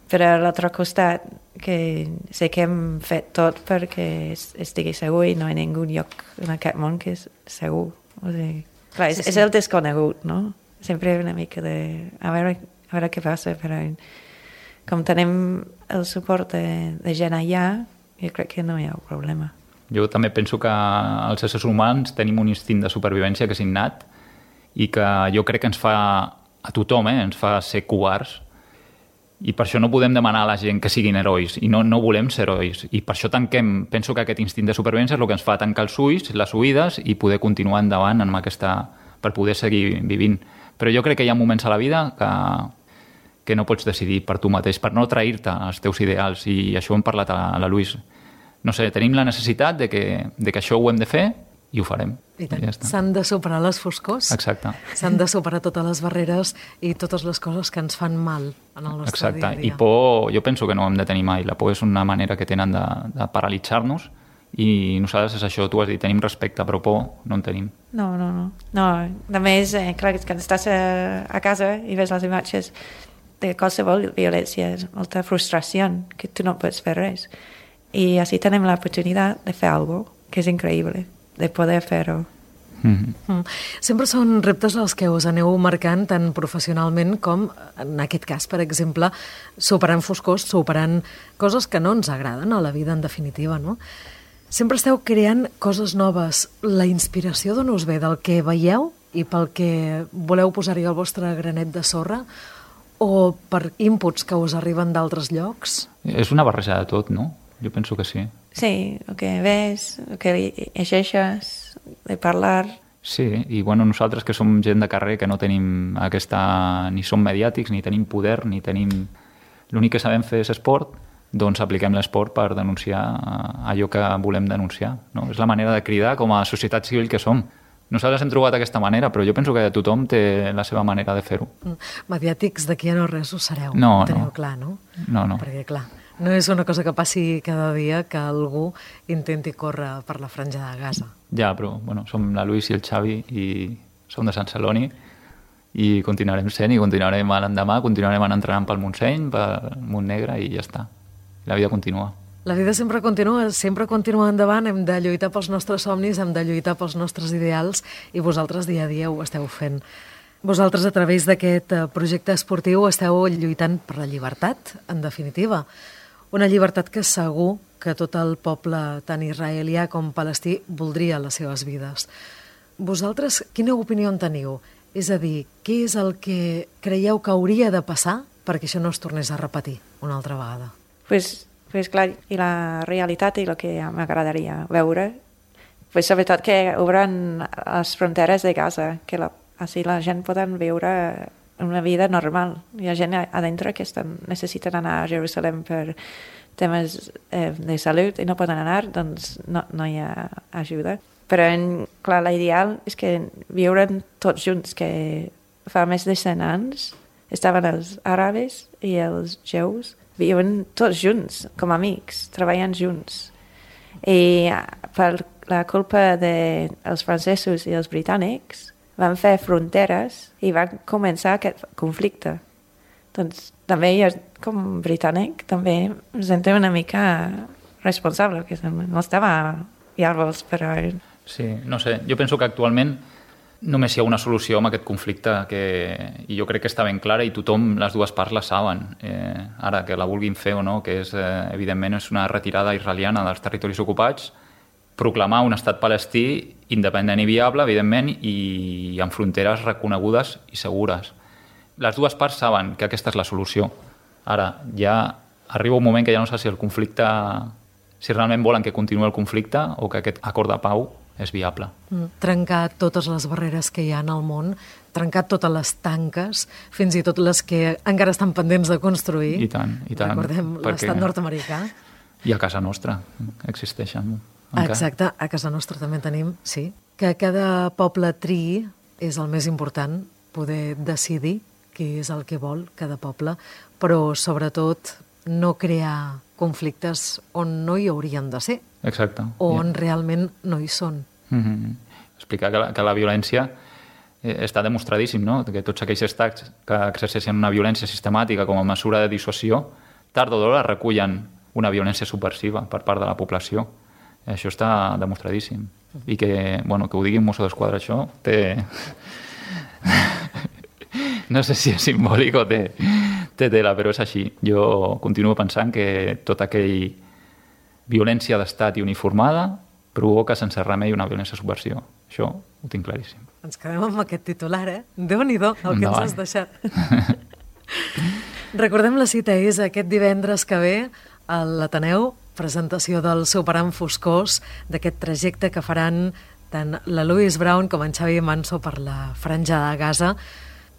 C: però a l'altre costat, que sé que hem fet tot perquè estigui segur i no hi ha ningú lloc en aquest món que és segur. O sigui, clar, és, sí, sí. És el desconegut, no? Sempre una mica de... A veure, a veure què passa, però com tenim el suport de, de gent allà, jo crec que no hi ha problema.
D: Jo també penso que els éssers humans tenim un instint de supervivència que és innat i que jo crec que ens fa, a tothom, eh, ens fa ser covards. I per això no podem demanar a la gent que siguin herois, i no, no volem ser herois. I per això tanquem, penso que aquest instint de supervivència és el que ens fa tancar els ulls, les oïdes, i poder continuar endavant amb aquesta, per poder seguir vivint. Però jo crec que hi ha moments a la vida que, que no pots decidir per tu mateix, per no trair-te als teus ideals, i això ho hem parlat a, a la Luis. No sé, tenim la necessitat de que, de que això ho hem de fer, i ho farem.
A: I tant. Ja s'han de superar les foscors.
D: Exacte.
A: S'han de superar totes les barreres i totes les coses que ens fan mal en el nostre
D: Exacte.
A: dia a dia.
D: I por, jo penso que no hem de tenir mai. La por és una manera que tenen de, de paralitzar-nos i nosaltres és això, tu has dit, tenim respecte, però por no en tenim.
C: No, no, no. no. A més, eh, clar, que estàs a, a casa i ves les imatges de qualsevol violència, és molta frustració, que tu no pots fer res. I així tenim l'oportunitat de fer alguna cosa que és increïble, de poder fer-ho.
A: Mm-hmm. Mm. Sempre són reptes els que us aneu marcant tant professionalment com, en aquest cas, per exemple, superant foscors, superant coses que no ens agraden a la vida, en definitiva, no? Sempre esteu creant coses noves. La inspiració d'on us ve? Del que veieu i pel que voleu posar-hi el vostre granet de sorra? O per inputs que us arriben d'altres llocs?
D: És una barreja de tot, no? Jo penso que sí.
C: Sí, el que ves, el que llegeixes, de parlar...
D: Sí, i bueno, nosaltres que som gent de carrer que no tenim aquesta... ni som mediàtics, ni tenim poder, ni tenim... L'únic que sabem fer és esport, doncs apliquem l'esport per denunciar allò que volem denunciar. No? És la manera de cridar com a societat civil que som. Nosaltres hem trobat aquesta manera, però jo penso que tothom té la seva manera de fer-ho.
A: Mediàtics d'aquí a no res ho sereu,
D: no,
A: ho teniu
D: no.
A: clar, no?
D: No, no.
A: Perquè, clar, no és una cosa que passi cada dia que algú intenti córrer per la franja de Gaza.
D: Ja, però bueno, som la Luis i el Xavi i som de Sant Celoni i continuarem sent i continuarem a l'endemà, continuarem entrenant pel Montseny, pel Montnegre i ja està. La vida continua.
A: La vida sempre continua, sempre continua endavant, hem de lluitar pels nostres somnis, hem de lluitar pels nostres ideals i vosaltres dia a dia ho esteu fent. Vosaltres a través d'aquest projecte esportiu esteu lluitant per la llibertat, en definitiva. Una llibertat que segur que tot el poble, tant israelià com palestí, voldria les seves vides. Vosaltres, quina opinió en teniu? És a dir, què és el que creieu que hauria de passar perquè això no es tornés a repetir una altra vegada?
C: Pues, pues clar, i la realitat i el que m'agradaria veure, pues sobretot que obren les fronteres de Gaza, que la, així la gent poden viure una vida normal. Hi ha gent a dintre que estan, necessiten anar a Jerusalem per, temes eh, de salut i no poden anar, doncs no, no hi ha ajuda. Però, en, clar, l'ideal és que viuren tots junts, que fa més de cent anys estaven els àrabes i els jeus, viuen tots junts, com amics, treballant junts. I per la culpa dels de francesos i els britànics van fer fronteres i van començar aquest conflicte. Doncs també jo, com britànic, també em sento una mica responsable, que no estava llavors, però...
D: Sí, no sé, jo penso que actualment només hi ha una solució amb aquest conflicte que, i jo crec que està ben clara i tothom, les dues parts la saben. Eh, ara, que la vulguin fer o no, que és, eh, evidentment és una retirada israeliana dels territoris ocupats, proclamar un estat palestí independent i viable, evidentment, i amb fronteres reconegudes i segures. Les dues parts saben que aquesta és la solució. Ara, ja arriba un moment que ja no sé si el conflicte, si realment volen que continuï el conflicte o que aquest acord de pau és viable.
A: Mm, trencar totes les barreres que hi ha en el món, trencar totes les tanques, fins i tot les que encara estan pendents de construir.
D: I tant, i tant.
A: Recordem l'estat nord-americà.
D: I a casa nostra existeixen. Encara.
A: Exacte, a casa nostra també tenim, sí. Que cada poble triï és el més important, poder decidir què és el que vol cada poble, però sobretot no crear conflictes on no hi haurien de ser.
D: Exacte.
A: O on yeah. realment no hi són.
D: Mm-hmm. Explicar que la, que la violència eh, està demostradíssim, no? Que tots aquells estats que exerceixen una violència sistemàtica com a mesura de dissuasió, tard o d'hora recullen una violència subversiva per part de la població. Això està demostradíssim. I que, bueno, que ho digui un mosso d'esquadra, això té... no sé si és simbòlic o té, té tela, però és així. Jo continuo pensant que tota aquella violència d'estat i uniformada provoca sense remei una violència subversió. Això ho tinc claríssim.
A: Ens quedem amb aquest titular, eh? Déu-n'hi-do, el que ens has deixat. Recordem, la cita és aquest divendres que ve a l'Ateneu, presentació del Superant Foscós, d'aquest trajecte que faran tant la Louise Brown com en Xavi Manso per la Franja de Gaza.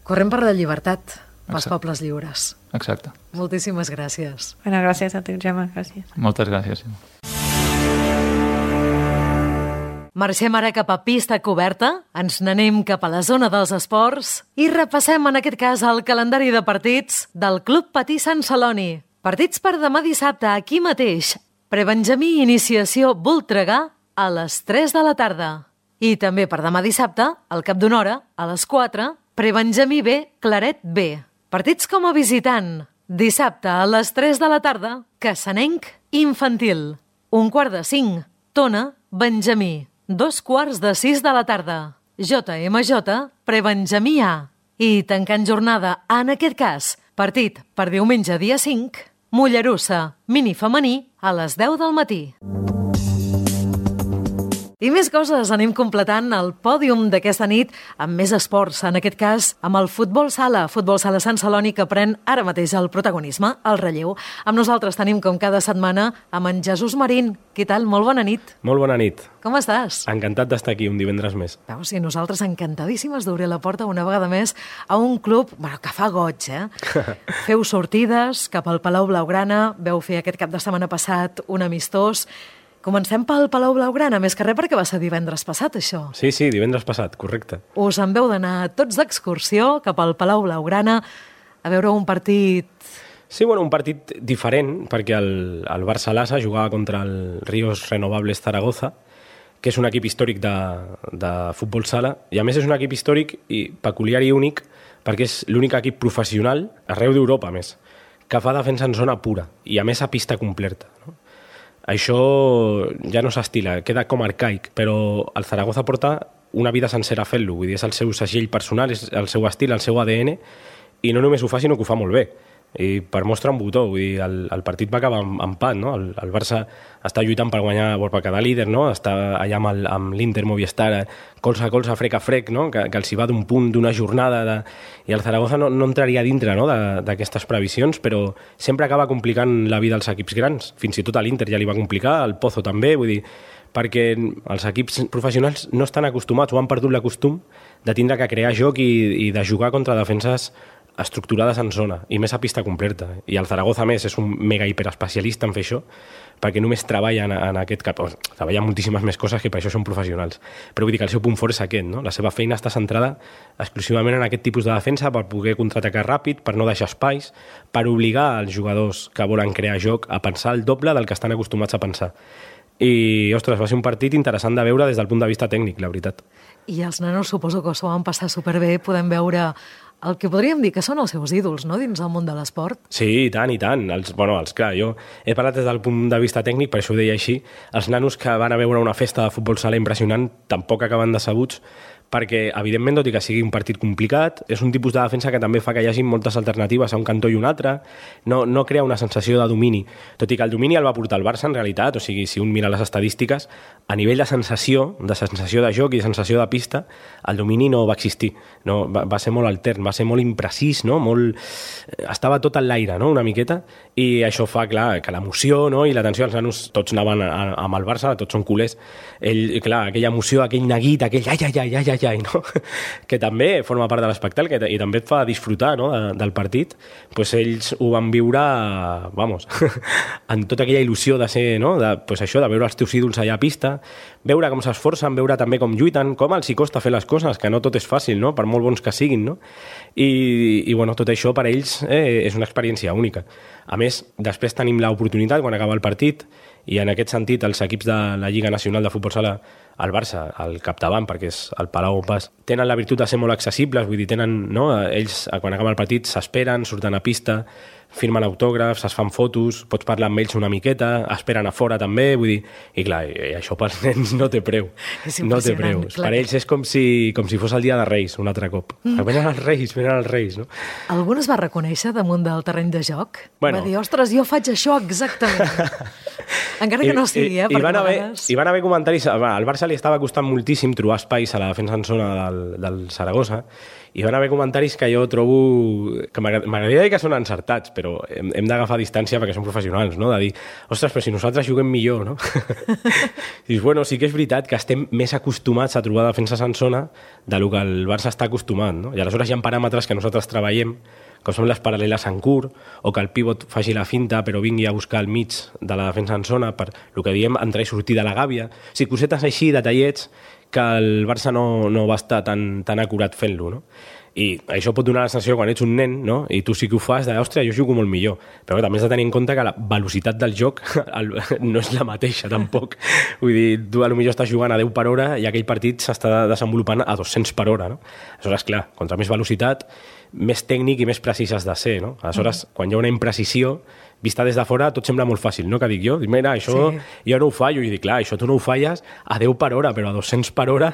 A: Correm per la llibertat, pels pobles lliures.
D: Exacte.
A: Moltíssimes gràcies.
C: Bueno, gràcies a tu, Gemma, gràcies.
D: Moltes gràcies.
A: Marxem ara cap a pista coberta, ens n'anem cap a la zona dels esports i repassem en aquest cas el calendari de partits del Club Patí Sant Celoni. Partits per demà dissabte aquí mateix. Prebenjamí Iniciació Voltregà a les tres de la tarda. I també per demà dissabte, al cap d'una hora, a les quatre, Prebenjamí B, Claret B. Partits com a visitant. Dissabte a les tres de la tarda, Cassanenc Infantil. Un quart de cinc, Tona Benjamí. Dos quarts de sis de la tarda, J M J Prebenjamí A. I tancant jornada, en aquest cas, partit per diumenge dia cinc, Mollerussa Mini Femení a les deu del matí. I més coses, anem completant el pòdium d'aquesta nit amb més esports, en aquest cas amb el futbol sala, futbol sala Sant Celoni, que pren ara mateix el protagonisme, el relleu. Amb nosaltres tenim, com cada setmana, amb en Jesús Marín. Què tal? Molt bona nit.
E: Molt bona nit.
A: Com estàs?
E: Encantat d'estar aquí un divendres més.
A: Veus, i nosaltres encantadíssimes d'obrir la porta una vegada més a un club, bueno, que fa goig, eh? Feu sortides cap al Palau Blaugrana, veu fer aquest cap de setmana passat un amistós. Comencem pel Palau Blaugrana, més que res perquè va ser divendres passat, això.
E: Sí, sí, divendres passat, correcte.
A: Us en veu d'anar tots d'excursió cap al Palau Blaugrana a veure un partit...
E: Sí, bueno, un partit diferent, perquè el, el Barça Lassa jugava contra el Ríos Renovables Zaragoza, que és un equip històric de, de futbol sala, i a més és un equip històric i peculiar i únic, perquè és l'únic equip professional, arreu d'Europa, a més, que fa defensa en zona pura, i a més a pista completa, no? Això ja no s'estila, queda com arcaic, però el Zaragoza porta una vida sencera fent-lo, vull dir, és el seu segell personal, és el seu estil, el seu A D N, i no només ho fa, sinó que ho fa molt bé. I per mostra un botó, vull dir, el, el partit va acabar amb empat, no? El, el Barça està lluitant per guanyar, per quedar líder, no? Està allà amb, el, amb l'Inter Movistar, colze a colze, frec a frec, no? Que, que els hi va d'un punt, d'una jornada, de... i el Zaragoza no, no entraria dintre, no? D'aquestes previsions, però sempre acaba complicant la vida als equips grans. Fins i tot a l'Inter ja li va complicar, al Pozo també, vull dir, perquè els equips professionals no estan acostumats o han perdut l'acostum de tindre que crear joc i, i de jugar contra defenses estructurades en zona, i més a pista completa. I el Zaragoza, a més, és un mega hiperespecialista en fer això, perquè només treballa en, en aquest cap... O, treballa moltíssimes més coses que per això són professionals. Però vull dir que el seu punt fort és aquest, no? La seva feina està centrada exclusivament en aquest tipus de defensa per poder contraatacar ràpid, per no deixar espais, per obligar els jugadors que volen crear joc a pensar el doble del que estan acostumats a pensar. I, ostres, va ser un partit interessant de veure des del punt de vista tècnic, la veritat.
A: I els nanos suposo que s'ho van passar superbé, podem veure el que podríem dir que són els seus ídols, no?, dins el món de l'esport.
E: Sí, i tant, i tant. Els, bueno, els, clar, jo he parlat des del punt de vista tècnic, per això ho deia així. Els nanos que van a veure una festa de futbol sala impressionant tampoc acaben decebuts, perquè, evidentment, tot i que sigui un partit complicat, és un tipus de defensa que també fa que hi hagi moltes alternatives a un cantó i un altre, no, no crea una sensació de domini, tot i que el domini el va portar el Barça, en realitat, o sigui, si un mira les estadístiques, a nivell de sensació, de sensació de joc i de sensació de pista, el domini no va existir, no, va, va ser molt altern, va ser molt imprecís, no? Molt... estava tot en l'aire, no?, una miqueta, i això fa, clar, que l'emoció, no?, i l'atenció, els nanos tots anaven amb el Barça, tots són culers, ell, clar, aquella emoció, aquell neguit, aquell ai, ai, ai, ai, ai, ai, no? Que també forma part de l'espectacle i també et fa disfrutar, no?, de, del partit, pues ells ho van viure, vamos, en tota aquella il·lusió de ser, no?, de, pues això, de veure els teus ídols allà a pista, veure com s'esforcen, veure també com lluiten, com els hi costa fer les coses, que no tot és fàcil, no?, per molt bons que siguin, no? I, i bueno, tot això per ells eh, és una experiència única. A més, després tenim l'oportunitat, quan acaba el partit, i en aquest sentit els equips de la Lliga Nacional de Futbol Sala, el Barça, al capdavant, perquè és el Palau on pas, tenen la virtut de ser molt accessibles, vull dir, tenen, no? Ells, quan acaba el partit, s'esperen, surten a pista, firmen autògrafs, es fan fotos, pots parlar amb ells una miqueta, esperen a fora també, vull dir, i clar, i això pels nens no té preu, no té preu. Clar. Per ells és com si, com si fos el dia de Reis, un altre cop. Mm. Venen els Reis, venen els Reis, no?
A: Algun es va reconèixer damunt del terreny de joc?
E: Bueno.
A: Va dir, ostres, jo faig això exactament. Encara que no sigui, eh?
E: I, i, van haver,
A: vegades...
E: I van haver comentaris... Al Barça li estava costant moltíssim trobar espais a la defensa en zona del, del Saragossa, i van haver comentaris que jo trobo... que m'agradaria dir que són encertats, però hem, hem d'agafar distància perquè són professionals, no? De dir, ostres, però si nosaltres juguem millor, no? I dius, bueno, sí que és veritat que estem més acostumats a trobar defenses en zona de lo que el Barça està acostumat, no? I aleshores hi ha paràmetres que nosaltres treballem, com són les paral·leles en curt, o que el pivot faci la finta però vingui a buscar el mig de la defensa en zona, per el que diem entrar i sortir de la gàbia. O sigui, cosetes així, detallets, que el Barça no, no va estar tan, tan acurat fent-lo, no? I això pot donar la sensació quan ets un nen, no? I tu sí que ho fas de, ostres, jo jugo molt millor. Però també has de tenir en compte que la velocitat del joc el, no és la mateixa, tampoc. Vull dir, tu potser estàs jugant a deu per hora i aquell partit s'està desenvolupant a dos-cents per hora, no? Aleshores, clar, contra més velocitat, més tècnic i més precís has de ser, no? Aleshores, mm. quan hi ha una imprecisió, vista des de fora, tot sembla molt fàcil, no? Que dic jo, mira, això sí. Jo no ho fallo, i dic, clar, això tu no ho falles a deu per hora, però a dos-cents per hora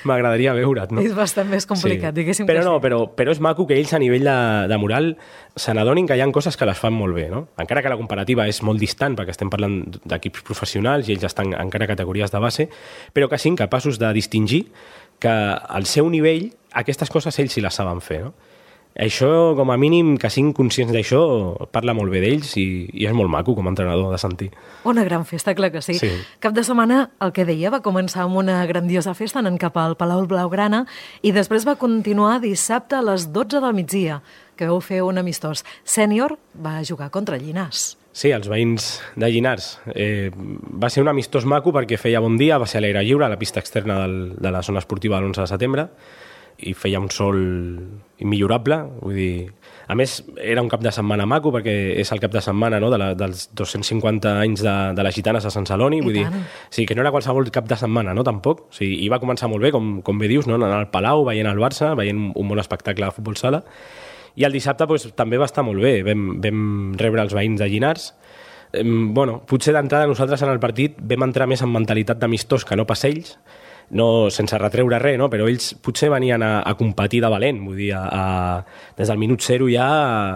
E: m'agradaria veure't, no?
A: És bastant més complicat, sí. Diguéssim
E: però
A: que
E: no,
A: sí.
E: Però, però és maco que ells a nivell de, de moral se n'adonin que hi ha coses que les fan molt bé, no? Encara que la comparativa és molt distant, perquè estem parlant d'equips professionals i ells estan encara a categories de base, però que siguin capaços de distingir que al seu nivell aquestes coses ells sí les saben fer, no? Això, com a mínim, que siguin conscients d'això, parla molt bé d'ells i, i és molt maco com a entrenador de sentir.
A: Una gran festa, clar que sí. sí. Cap de setmana, el que deia, va començar amb una grandiosa festa anant cap al Palau Blaugrana i després va continuar dissabte a les dotze del migdia, que vau fer un amistós. Sènior va jugar contra Llinars.
E: Sí, els veïns de Llinars. Eh, va ser un amistós maco perquè feia bon dia, va ser a l'aire lliure, a la pista externa del, de la zona esportiva de l'onze de setembre, i feia un sol immillorable, vull dir... A més, era un cap de setmana maco, perquè és el cap de setmana, no?, de la, dels dos-cents cinquanta anys de, de les gitanes a Sant Celoni, vull dir... Sí, que no era qualsevol cap de setmana, no?, tampoc. O sigui, i va començar molt bé, com, com bé dius, no?, anant al Palau, veient el Barça, veient un bon espectacle de futbol sala. I el dissabte pues, també va estar molt bé. Vam, vam rebre els veïns de Llinars. Eh, bueno, potser d'entrada nosaltres en el partit vam entrar més en mentalitat d'amistós que no pas ells, no, sense retreure res, no? Però ells potser venien a, a competir de valent, vull dir, a, a, des del minut zero ja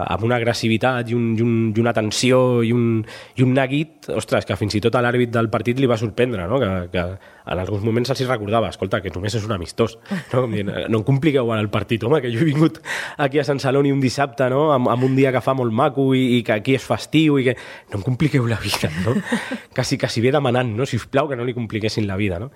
E: amb una agressivitat i, un, i, un, i una tensió i un, i un neguit, ostres, que fins i tot a l'àrbit del partit li va sorprendre, no? Que, que en alguns moments se'ls recordava, escolta, que només és un amistós, no? No em compliqueu el partit, home, que jo he vingut aquí a Sant Celoni un dissabte, no? Amb, amb un dia que fa molt maco i, i que aquí és festiu i que... No em compliqueu la vida, no? Quasi, quasi bé demanant, no? Sisplau, que no li compliquessin la vida, no?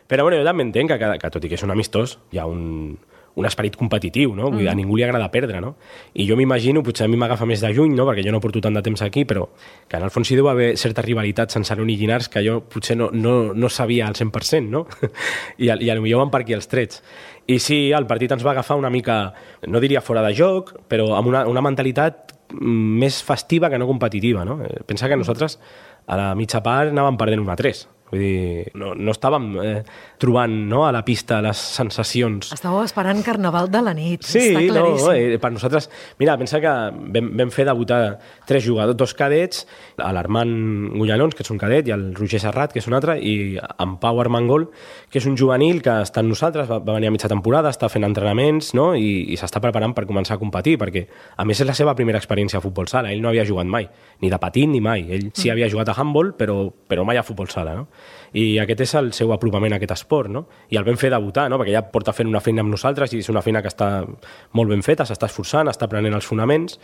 E: Però bueno, jo també entenc que, que, que tot i que és un amistós, hi ha un, un esperit competitiu, no? Vull dir, a ningú li agrada perdre, no? I jo m'imagino, potser a mi m'agafa més de juny, no? Perquè jo no porto tant de temps aquí, però que en el fons hi deu haver certa rivalitat sense Saloni i Llinars que jo potser no, no, no sabia al cent per cent, no? I, I potser van per aquí els trets. I sí, el partit ens va agafar una mica, no diria fora de joc, però amb una, una mentalitat més festiva que no competitiva, no? Pensa que nosaltres a la mitja part anàvem perdent un a tres. Vull dir, no, no estàvem eh, trobant, no, a la pista les sensacions.
A: Estàveu esperant Carnaval de la nit,
E: sí,
A: està claríssim.
E: No, eh, per nosaltres... Mira, pensa que vam, vam fer debutar tres jugadors, dos cadets, l'Armand Gullanons, que és un cadet, i el Roger Serrat, que és un altre, i en Pau Armengol, que és un juvenil que està amb nosaltres, va, va venir a mitja temporada, està fent entrenaments, no?, i, i s'està preparant per començar a competir, perquè, a més, és la seva primera experiència a futbol sala. Ell no havia jugat mai, ni de petit ni mai. Ell sí havia jugat a handball, però, però mai a futbol sala, no? I aquest és el seu apropament a aquest esport, no? I el vam fer debutar, no? Perquè ja porta fent una feina amb nosaltres i és una feina que està molt ben feta, s'està esforçant, està aprenent els fonaments,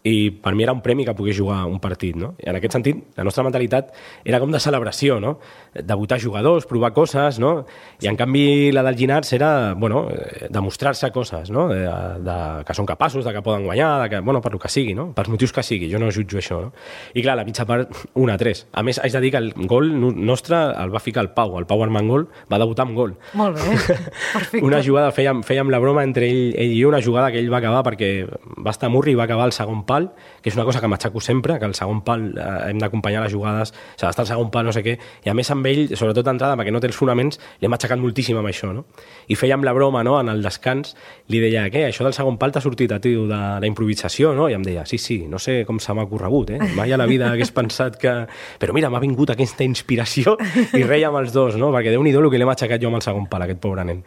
E: i per mi era un premi que pogués jugar un partit, no? I en aquest sentit, la nostra mentalitat era com de celebració, no? Debutar jugadors, provar coses, no? I en canvi la del Llinars era, bueno, demostrar-se coses, no? De, de, que són capaços, de que poden guanyar, de que, bueno, per lo que sigui, no? Pels motius que sigui, jo no jutjo això, no? I clar, la mitja part, un a tres. A més, haig de dir que el gol nostre el va ficar el Pau, el Pau Armengol va debutar amb gol.
A: Molt bé, perfecte.
E: Una jugada, fèiem, fèiem la broma entre ell, ell i jo, una jugada que ell va acabar perquè va estar a Murri i va acabar al segon pal, que és una cosa que m'aixaco sempre, que al segon pal eh, hem d'acompanyar les jugades, s'ha d'estar al segon pal, no sé què, i a més amb ell, sobretot d'entrada, perquè no té els fonaments, l'hem aixecat moltíssim amb això, no? I fèiem la broma, no?, en el descans, li deia, què, això del segon pal t'ha sortit a tu de la improvisació, no? I em deia, sí, sí, no sé com se m'ha corregut, eh? Mai a la vida hagués pensat que... Però mira, m'ha vingut aquesta inspiració i reia amb els dos, no? Perquè Déu-n'hi-do el que l'hem aixecat jo amb el segon pal, aquest pobre nen.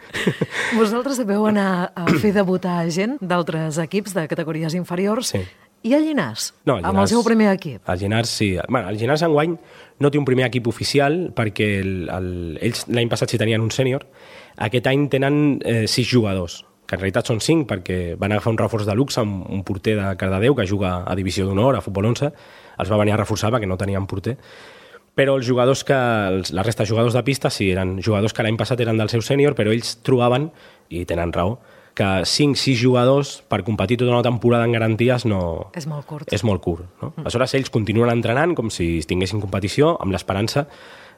A: Vosaltres veu anar a fer debutar gent d'altres equips de categories inferiors.
E: Sí.
A: I el Llinars?
E: No, el Llinars,
A: amb el seu primer equip?
E: El Llinars, sí. Bueno, el Llinars enguany no té un primer equip oficial perquè el, el, ells l'any passat sí tenien un sènior. Aquest any tenen eh, sis jugadors, que en realitat són cinc perquè van agafar un reforç de luxe amb un porter de Cardedeu que juga a Divisió d'Honor, a Futbol onze. Els va venir a reforçar perquè no tenien porter. Però els jugadors que, els, la resta de jugadors de pista sí, eren jugadors que l'any passat eren del seu sènior, però ells trobaven, i tenen raó, que cinc sis jugadors per competir tota una temporada en garanties no...
A: És molt curt.
E: És molt curt, no? Mm. Aleshores, ells continuen entrenant com si tinguessin competició, amb l'esperança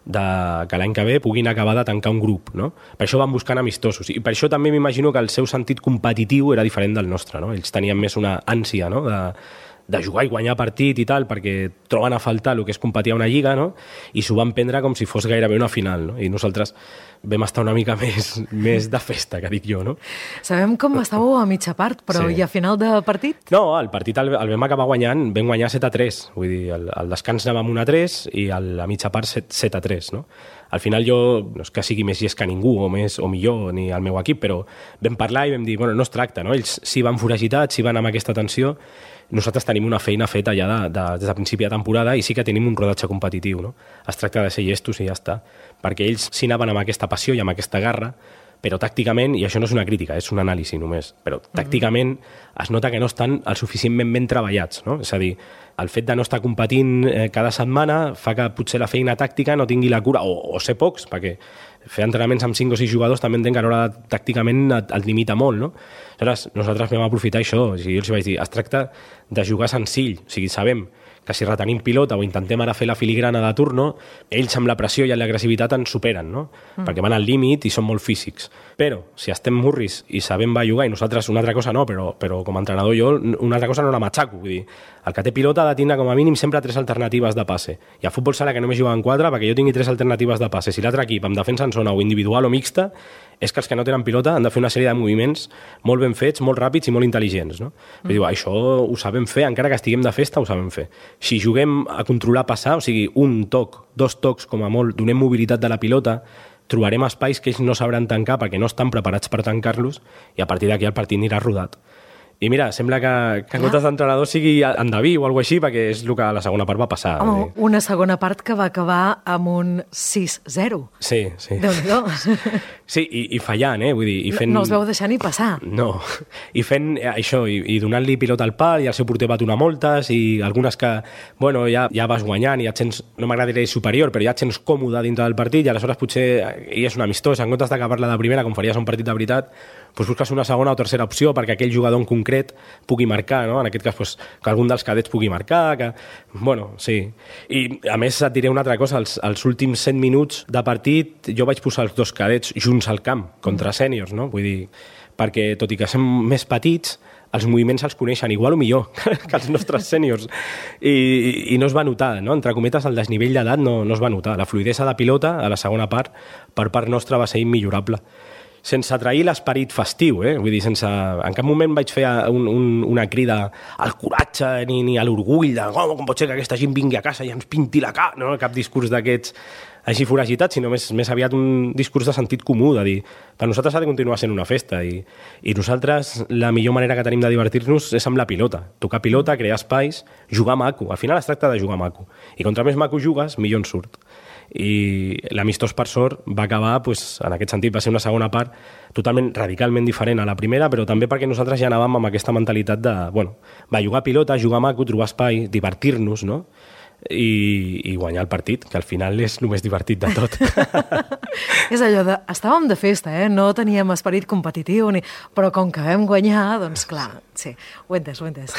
E: de que l'any que ve puguin acabar de tancar un grup, no? Per això van buscant amistosos. I per això també m'imagino que el seu sentit competitiu era diferent del nostre, no? Ells tenien més una ànsia, no?, de, de jugar i guanyar partit i tal, perquè troben a faltar el que és competir a una lliga, no? I s'ho van prendre com si fos gairebé una final, no? I nosaltres vam estar una mica més, més de festa, que dic jo, no?
A: Sabem com estàveu a mitja part, però sí. I a final de partit?
E: No, el partit el, el vam acabar guanyant, vam guanyar set a tres, vull dir, el, el descans anàvem un a tres i el, a mitja part set a tres, no? Al final jo, no és que sigui més llest que ningú, o més o millor, ni el meu equip, però vam parlar i vam dir, bueno, no es tracta, no? Ells sí van foragitats, sí van amb aquesta tensió, nosaltres tenim una feina feta ja de, de, des de principi de temporada i sí que tenim un rodatge competitiu, no? Es tracta de ser llestos i ja està, perquè ells sí anaven amb aquesta passió i amb aquesta garra, però tàcticament, i això no és una crítica, és un anàlisi només, però tàcticament es nota que no estan el suficientment ben treballats, no? És a dir, el fet de no estar competint eh, cada setmana fa que potser la feina tàctica no tingui la cura, o, o ser pocs, perquè fer entrenaments amb cinc o sis jugadors també entenc que a l'hora de, tàcticament et, et limita molt, no? Aleshores, nosaltres vam aprofitar això, o sigui, jo els vaig dir, es tracta de jugar senzill, o sigui, sabem que si retenim pilota o intentem ara fer la filigrana de turno, ells amb la pressió i l'agressivitat ens superen, no? Mm. Perquè van al límit i són molt físics. Però, si estem murris i sabem va jugar, i nosaltres una altra cosa no, però, però com a entrenador jo una altra cosa no la matxaco. Vull dir, el que té pilota ha de tindre com a mínim sempre tres alternatives de passe. I a futbol sala que només juguen quatre, perquè jo tingui tres alternatives de passe. Si l'altre equip amb defensa en zona o individual o mixta, és que els que no tenen pilota han de fer una sèrie de moviments molt ben fets, molt ràpids i molt intel·ligents, no? Mm. Vull dir, això ho sabem fer, encara que estiguem de festa, ho sabem fer. Si juguem a controlar passar, o sigui, un toc, dos tocs com a molt, donem mobilitat de la pilota, trobarem espais que ells no sabran tancar perquè no estan preparats per tancar-los i a partir d'aquí el partit anirà rodat. I mira, sembla que, que en comptes d'entrenador sigui endeví o alguna així, perquè és el que a la segona part va passar.
A: Home, una segona part que va acabar amb un sis zero.
E: Sí, sí.
A: Déu-n'hi-do.
E: Sí, i, i fallant, eh? Vull dir, i fent...
A: No els veu deixar ni passar.
E: No, i fent això, i, i donant-li pilota al pal, i el seu porter va donar moltes, i algunes que, bueno, ja, ja vas guanyant, i ja et sents, no m'agradaria dir superior, però ja et sents còmode dintre del partit, i aleshores potser hi és un amistós, en comptes d'acabar-la de primera, com faries un partit de veritat, doncs busques una segona o tercera opció perquè aquell jugador en concret pugui marcar, no? En aquest cas, doncs, que algun dels cadets pugui marcar, que... Bueno, sí. I, a més, et diré una altra cosa, els, els últims set minuts de partit jo vaig posar els dos cadets junts al camp, contra sèniors, no? Vull dir, perquè tot i que som més petits, els moviments els coneixen igual o millor que els nostres sèniors. I, i, I no es va notar, no? Entre cometes, el desnivell d'edat no, no es va notar. La fluidesa de pilota, a la segona part, per part nostra va ser immillorable. Sense trair l'esperit festiu, eh? Vull dir, sense... En cap moment vaig fer un, un, una crida al coratge ni, ni a l'orgull de oh, com pot ser que aquesta gent vingui a casa i ens pinti la cara, no? Cap discurs d'aquests així foragitats, sinó més, més aviat un discurs de sentit comú, de dir, per nosaltres ha de continuar sent una festa i, i nosaltres la millor manera que tenim de divertir-nos és amb la pilota, tocar pilota, crear espais, jugar maco, al final es tracta de jugar maco, i contra més maco jugues, millor en surt. I l'amistós per sort va acabar, pues, en aquest sentit va ser una segona part totalment, radicalment diferent a la primera, però també perquè nosaltres ja anàvem amb aquesta mentalitat de, bueno, va jugar pilota, jugar maco, trobar espai, divertir-nos, no? I, i guanyar el partit, que al final és el més divertit de tot.
A: És allò de... Estàvem de festa, eh? No teníem esperit competitiu, ni... però com que vam guanyar, doncs clar, sí, ho he entès, ho he entès.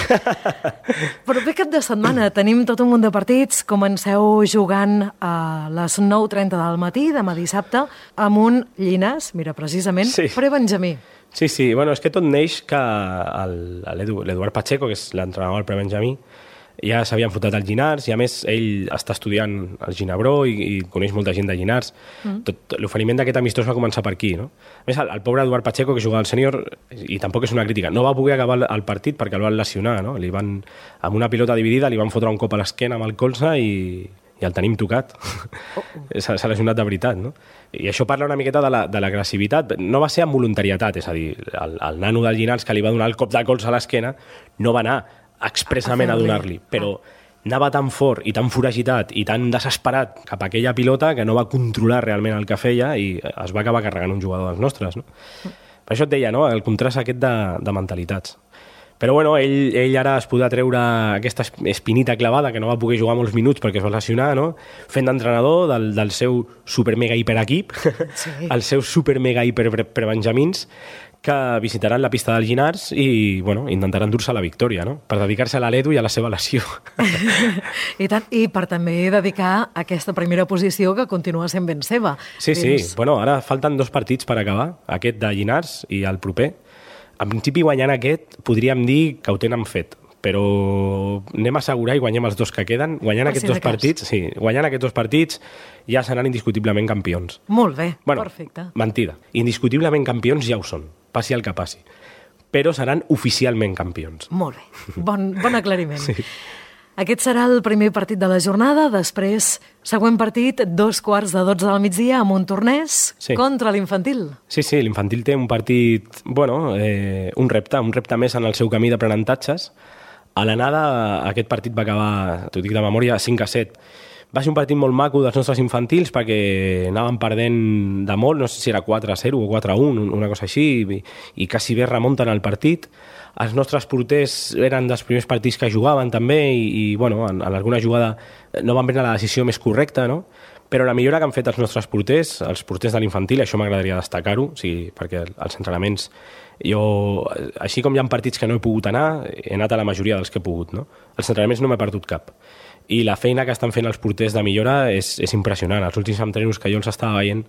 A: Però bé, cap de setmana tenim tot un munt de partits. Comenceu jugant a les nou trenta del matí, demà dissabte, amb un Llinars, mira, precisament,
E: sí.
A: Pre-Benjamí.
E: Sí, sí, bueno, és que tot neix que l'Eduard Pacheco, que és l'entrenador del Pre-Benjamí, ja s'havien fotat al Llinars i a més ell està estudiant al Ginebró i, i coneix molta gent de Llinars. Mm. Tot, l'oferiment d'aquest amistós va començar per aquí, no? A més, el, el pobre Eduard Pacheco, que jugava al sènior, i tampoc és una crítica, no va poder acabar el, el partit perquè el van lesionar, no? Li van, amb una pilota dividida li van fotre un cop a l'esquena amb el colze i, i el tenim tocat. Oh. S'ha, s'ha lesionat de veritat, no? I això parla una miqueta de, la, de l'agressivitat. No va ser amb voluntarietat, és a dir, el, el nano del Llinars que li va donar el cop de colze a l'esquena no va anar expressament a donar-li, però anava tan fort i tan foragitat i tan desesperat cap a aquella pilota que no va controlar realment el que feia i es va acabar carregant un jugador dels nostres, no? Per això et deia, no?, el contrast aquest de, de mentalitats. Però bueno, ell, ell ara es podrà treure aquesta espinita clavada que no va poder jugar molts minuts perquè es va lesionar, no?, fent d'entrenador del, del seu super mega hiper equip, sí. Els seus super mega hiper prebenjamins, que visitaran la pista del Llinars i bueno, intentaran dur-se la victòria, no?, per dedicar-se a l'Edu i a la seva lesió.
A: I tant, i per també dedicar aquesta primera posició que continua sent ben seva.
E: Sí, sí, dins... bueno, ara falten dos partits per acabar, aquest de Llinars i el proper. En principi, guanyant aquest, podríem dir que ho tenen fet, però anem a assegurar i guanyem els dos que queden. Guanyant aquests dos partits, sí, guanyant aquests dos partits ja seran indiscutiblement campions.
A: Molt bé,
E: bueno,
A: perfecte.
E: Mentida. Indiscutiblement campions ja ho són, passi el que passi. Però seran oficialment campions.
A: Molt bé, bon, bon aclariment.
E: Sí.
A: Aquest serà el primer partit de la jornada, després, següent partit, dos quarts de dotze del migdia, amb un tornès sí. Contra l'infantil.
E: Sí, sí, l'infantil té un partit, bueno, eh, un repte, un repte més en el seu camí d'aprenentatges. A l'anada, aquest partit va acabar, t'ho dic de memòria, cinc a set. Va ser un partit molt maco dels nostres infantils perquè anàvem perdent de molt, no sé si era quatre a zero o quatre a un, una cosa així, i, i quasi bé remunten el partit. Els nostres porters eren dels primers partits que jugaven també i, i bueno, en, en alguna jugada no van prendre la decisió més correcta, no? Però la millora que han fet els nostres porters, els porters de l'infantil, això m'agradaria destacar-ho, o sigui, perquè els entrenaments, jo, així com hi ha partits que no he pogut anar, he anat a la majoria dels que he pogut, no? Els entrenaments no m'he perdut cap. I la feina que estan fent els porters de millora és, és impressionant. Els últims entrenos que jo els estava veient,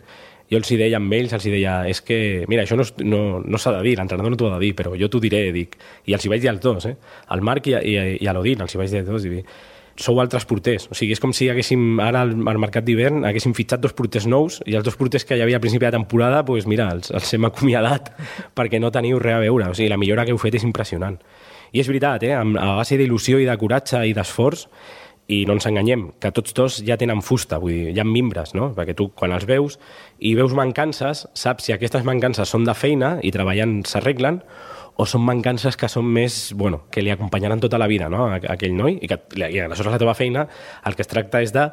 E: jo els hi deia amb ells, els hi deia, és que, mira, això no, no, no s'ha de dir, l'entrenador no t'ho ha de dir, però jo t'ho diré, dic, i els hi vaig dir als dos, eh? Al Marc i, i, i a l'Odin, els hi vaig dir als dos, i dic, sou altres porters. O sigui, és com si haguéssim, ara al, al mercat d'hivern, haguéssim fitxat dos porters nous i els dos porters que hi havia a principi de temporada, doncs pues mira, els, els hem acomiadat perquè no teniu res a veure. O sigui, la millora que heu fet és impressionant. I és veritat, eh? A base d'il·lusió i de coratge i d'esforç, i no ens enganyem, que tots dos ja tenen fusta, vull dir, hi ha mimbres, no? Perquè tu, quan els veus i veus mancances, saps si aquestes mancances són de feina i treballant s'arreglen, o són mancances que són més, bueno, que li acompanyaran tota la vida, no?, a, a aquell noi, i que i aleshores la teva feina el que es tracta és de,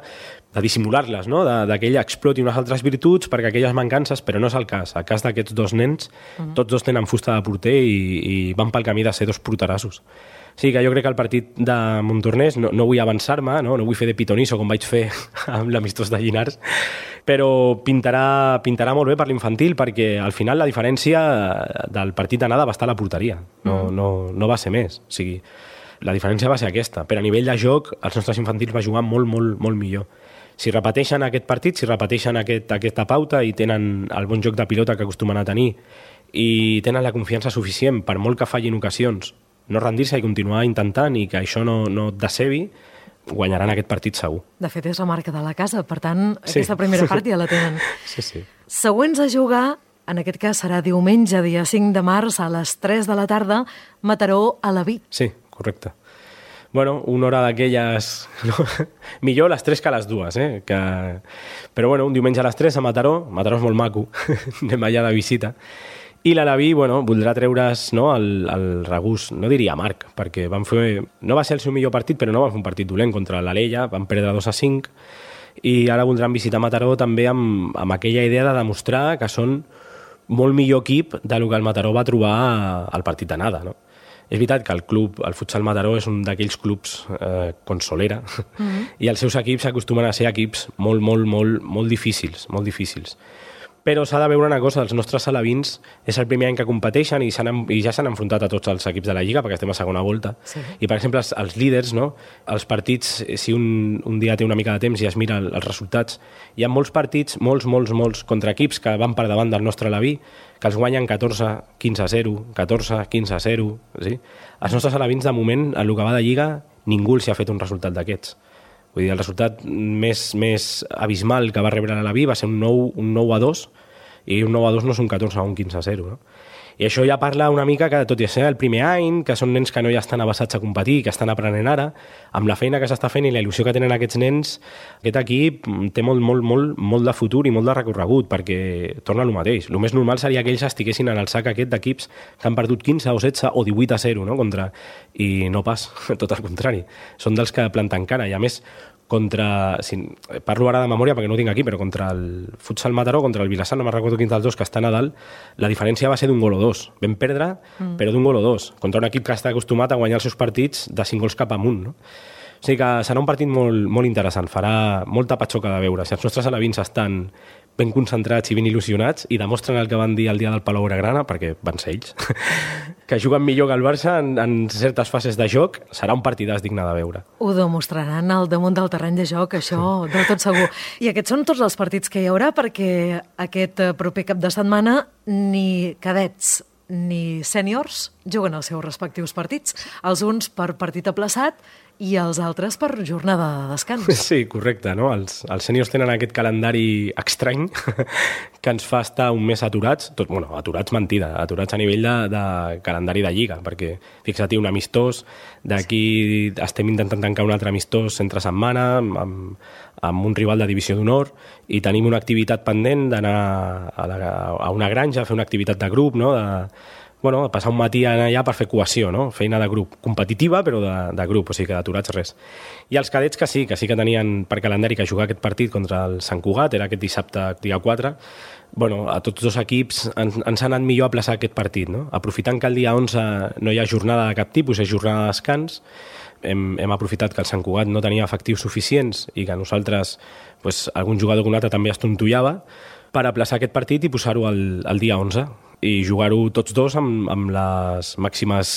E: de dissimular-les, no?, de, de que ella exploti unes altres virtuts perquè aquelles mancances, però no és el cas. El cas d'aquests dos nens, mm. tots dos tenen fusta de porter i, i van pel camí de ser dos porterassos. Sí, que jo crec que el partit de Montornès, no, no vull avançar-me, no? no vull fer de pitonisso com vaig fer amb l'amistós de Llinars, però pintarà, pintarà molt bé per l'infantil perquè al final la diferència del partit d'anada va estar a la porteria, no, mm. no, no va ser més. O sigui, la diferència va ser aquesta, però a nivell de joc els nostres infantils va jugar molt, molt, molt millor. Si repeteixen aquest partit, si repeteixen aquest, aquesta pauta i tenen el bon joc de pilota que acostumen a tenir i tenen la confiança suficient per molt que fallin ocasions, no rendir-se i continuar intentant i que això no, no et decebi, guanyaran aquest partit segur.
A: De fet, és la marca de la casa, per tant, sí. aquesta primera part ja la tenen.
E: Sí, sí.
A: Següents a jugar, en aquest cas serà diumenge, dia cinc de març, a les tres de la tarda, Mataró a la Vi.
E: Sí, correcte. Bueno, una hora d'aquelles... No? Millor les tres que les dues, eh? Que... Però bueno, un diumenge a les tres a Mataró, Mataró és molt maco, anem allà de visita, i l'Alaví, bueno, voldrà treure's, no, el, el regús, no diria amarg, perquè van fer... No va ser el seu millor partit, però no van fer un partit dolent contra l'Alella, van perdre dos a cinc, i ara voldran visitar Mataró també amb, amb aquella idea de demostrar que són molt millor equip del que el Mataró va trobar al partit d'anada, no? És veritat que el club, el Futsal Mataró, és un d'aquells clubs eh, consolera, mm-hmm. i els seus equips acostumen a ser equips molt, molt, molt, molt difícils, molt difícils. Però s'ha de veure una cosa, els nostres alevins és el primer any que competeixen i, i ja s'han enfrontat a tots els equips de la Lliga perquè estem a segona volta. Sí. I, per exemple, els, els líders, no? Els partits, si un, un dia té una mica de temps i es mira el, els resultats, hi ha molts partits, molts, molts, molts contra equips que van per davant del nostre aleví, que els guanyen catorze quinze a zero, catorze quinze a zero. Sí? Els nostres alevins, de moment, en el que va de Lliga, ningú els ha fet un resultat d'aquests. Vull dir, el resultat més, més abismal que va rebre l'Alaví va ser un nou a dos, i un nou a dos no és un catorze a un, quinze a zero. No? I això ja parla una mica que, tot i ser el primer any, que són nens que no ja estan avançats a competir, que estan aprenent ara, amb la feina que s'està fent i la il·lusió que tenen aquests nens, aquest equip té molt, molt, molt, molt de futur i molt de recorregut, perquè torna al mateix. El més normal seria que ells estiguessin en el sac aquest d'equips que han perdut quinze o setze o divuit a zero, no? Contra... i no pas, tot al contrari. Són dels que planten cara, i a més contra, si, parlo ara de memòria perquè no ho tinc aquí, però contra el Futsal Mataró, contra el Vilassar, no me'n recordo quin dels dos, que estan a dalt, la diferència va ser d'un gol o dos. Vam perdre, mm. però d'un gol o dos, contra un equip que està acostumat a guanyar els seus partits de cinc gols cap amunt, no? O sigui que serà un partit molt, molt interessant, farà molta patxoca de veure. Si els nostres alevins estan ben concentrats i ben il·lusionats i demostren el que van dir el dia del Palau Blaugrana, perquè van ser ells, que juguen millor que el Barça en, en certes fases de joc, serà un partidàs digne de veure.
A: Ho demostraran al damunt del terreny de joc, això del tot segur. I aquests són tots els partits que hi haurà, perquè aquest proper cap de setmana ni cadets ni sèniors juguen els seus respectius partits. Els uns per partit aplaçat i els altres per jornada de descans.
E: Sí, correcte, no? Els, els sèniors tenen aquest calendari estrany que ens fa estar un mes aturats, tot, bueno, aturats mentida, aturats a nivell de, de calendari de Lliga, perquè fixa't, un amistós, d'aquí estem intentant tancar un altre amistós entre setmana, amb, amb un rival de divisió d'honor, i tenim una activitat pendent d'anar a, la, a una granja a fer una activitat de grup, no? De, bueno, passar un matí allà per fer cohesió, no? Feina de grup, competitiva però de, de grup, o sigui que d'aturats res. I els cadets que sí, que sí que tenien per calendari que jugar aquest partit contra el Sant Cugat, era aquest dissabte dia quatre, bueno, a tots dos equips ens, ens ha anat millor aplaçar aquest partit, no? Aprofitant que el dia onze no hi ha jornada de cap tipus, és jornada de descans, hem, hem aprofitat que el Sant Cugat no tenia efectius suficients i que nosaltres, pues, algun jugador que un altre també es tontollava, per aplaçar aquest partit i posar-ho al, al dia onze i jugar-ho tots dos amb, amb les màximes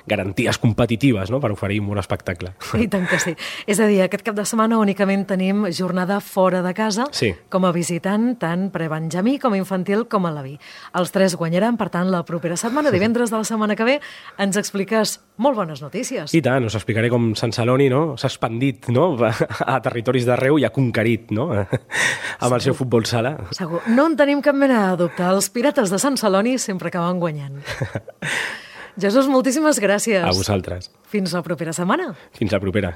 E: garanties competitives, no?, per oferir un bon espectacle.
A: I tant que sí. És a dir, aquest cap de setmana únicament tenim jornada fora de casa,
E: sí,
A: com a visitant, tant prebenjamí com infantil com a Alaví. Els tres guanyaran, per tant, la propera setmana, divendres de la setmana que ve, ens expliques molt bones notícies.
E: I tant, us explicaré com Sant Celoni, no?, s'ha expandit, no?, a territoris d'arreu i ha conquerit, no?, amb el seu futbol sala.
A: Segur. No en tenim cap mena de dubte. Els Pirates de Sant Celoni sempre acaben guanyant. Jesús, moltíssimes gràcies.
E: A vosaltres.
A: Fins la propera setmana.
E: Fins la propera.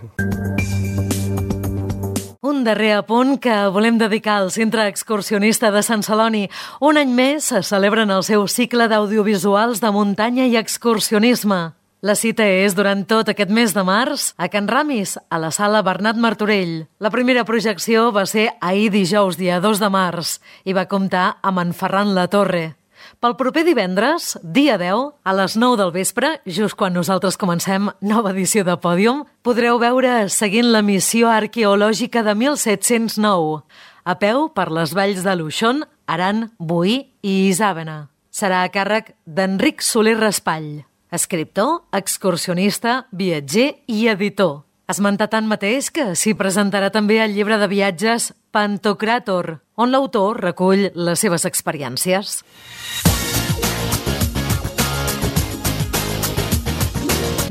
A: Un darrer apunt que volem dedicar al Centre Excursionista de Sant Celoni. Un any més se celebren el seu cicle d'audiovisuals de muntanya i excursionisme. La cita és durant tot aquest mes de març a Can Ramis, a la sala Bernat Martorell. La primera projecció va ser ahir dijous, dia dos de març, i va comptar amb en Ferran Latorre. Pel proper divendres, dia deu, a les nou del vespre, just quan nosaltres comencem nova edició de Pòdium, podreu veure seguint la missió arqueològica de mil set-cents nou, a peu per les valls de Luixón, Aran, Boí i Isàvena. Serà a càrrec d'Enric Soler Raspall, escriptor, excursionista, viatger i editor. Esmentar tant mateix que s'hi presentarà també el llibre de viatges Pantocràtor, on l'autor recull les seves experiències.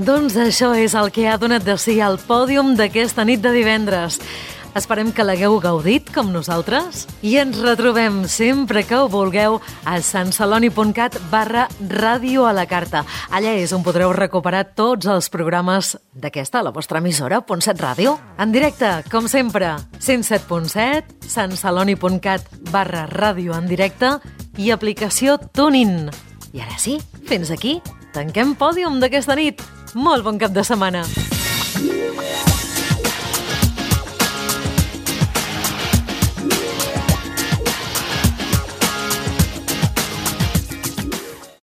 A: Doncs això és el que ha donat de si al pòdium d'aquesta nit de divendres. Esperem que l'hagueu gaudit com nosaltres i ens retrobem sempre que ho vulgueu a santceloni.cat barra ràdio a la carta. Allà és on podreu recuperar tots els programes d'aquesta, la vostra emissora, Punt set Ràdio. En directe, com sempre, cent set punt set, santceloni.cat barra ràdio en directe i aplicació TuneIn. I ara sí, fins aquí, tanquem Pòdium d'aquesta nit. Molt bon cap de setmana.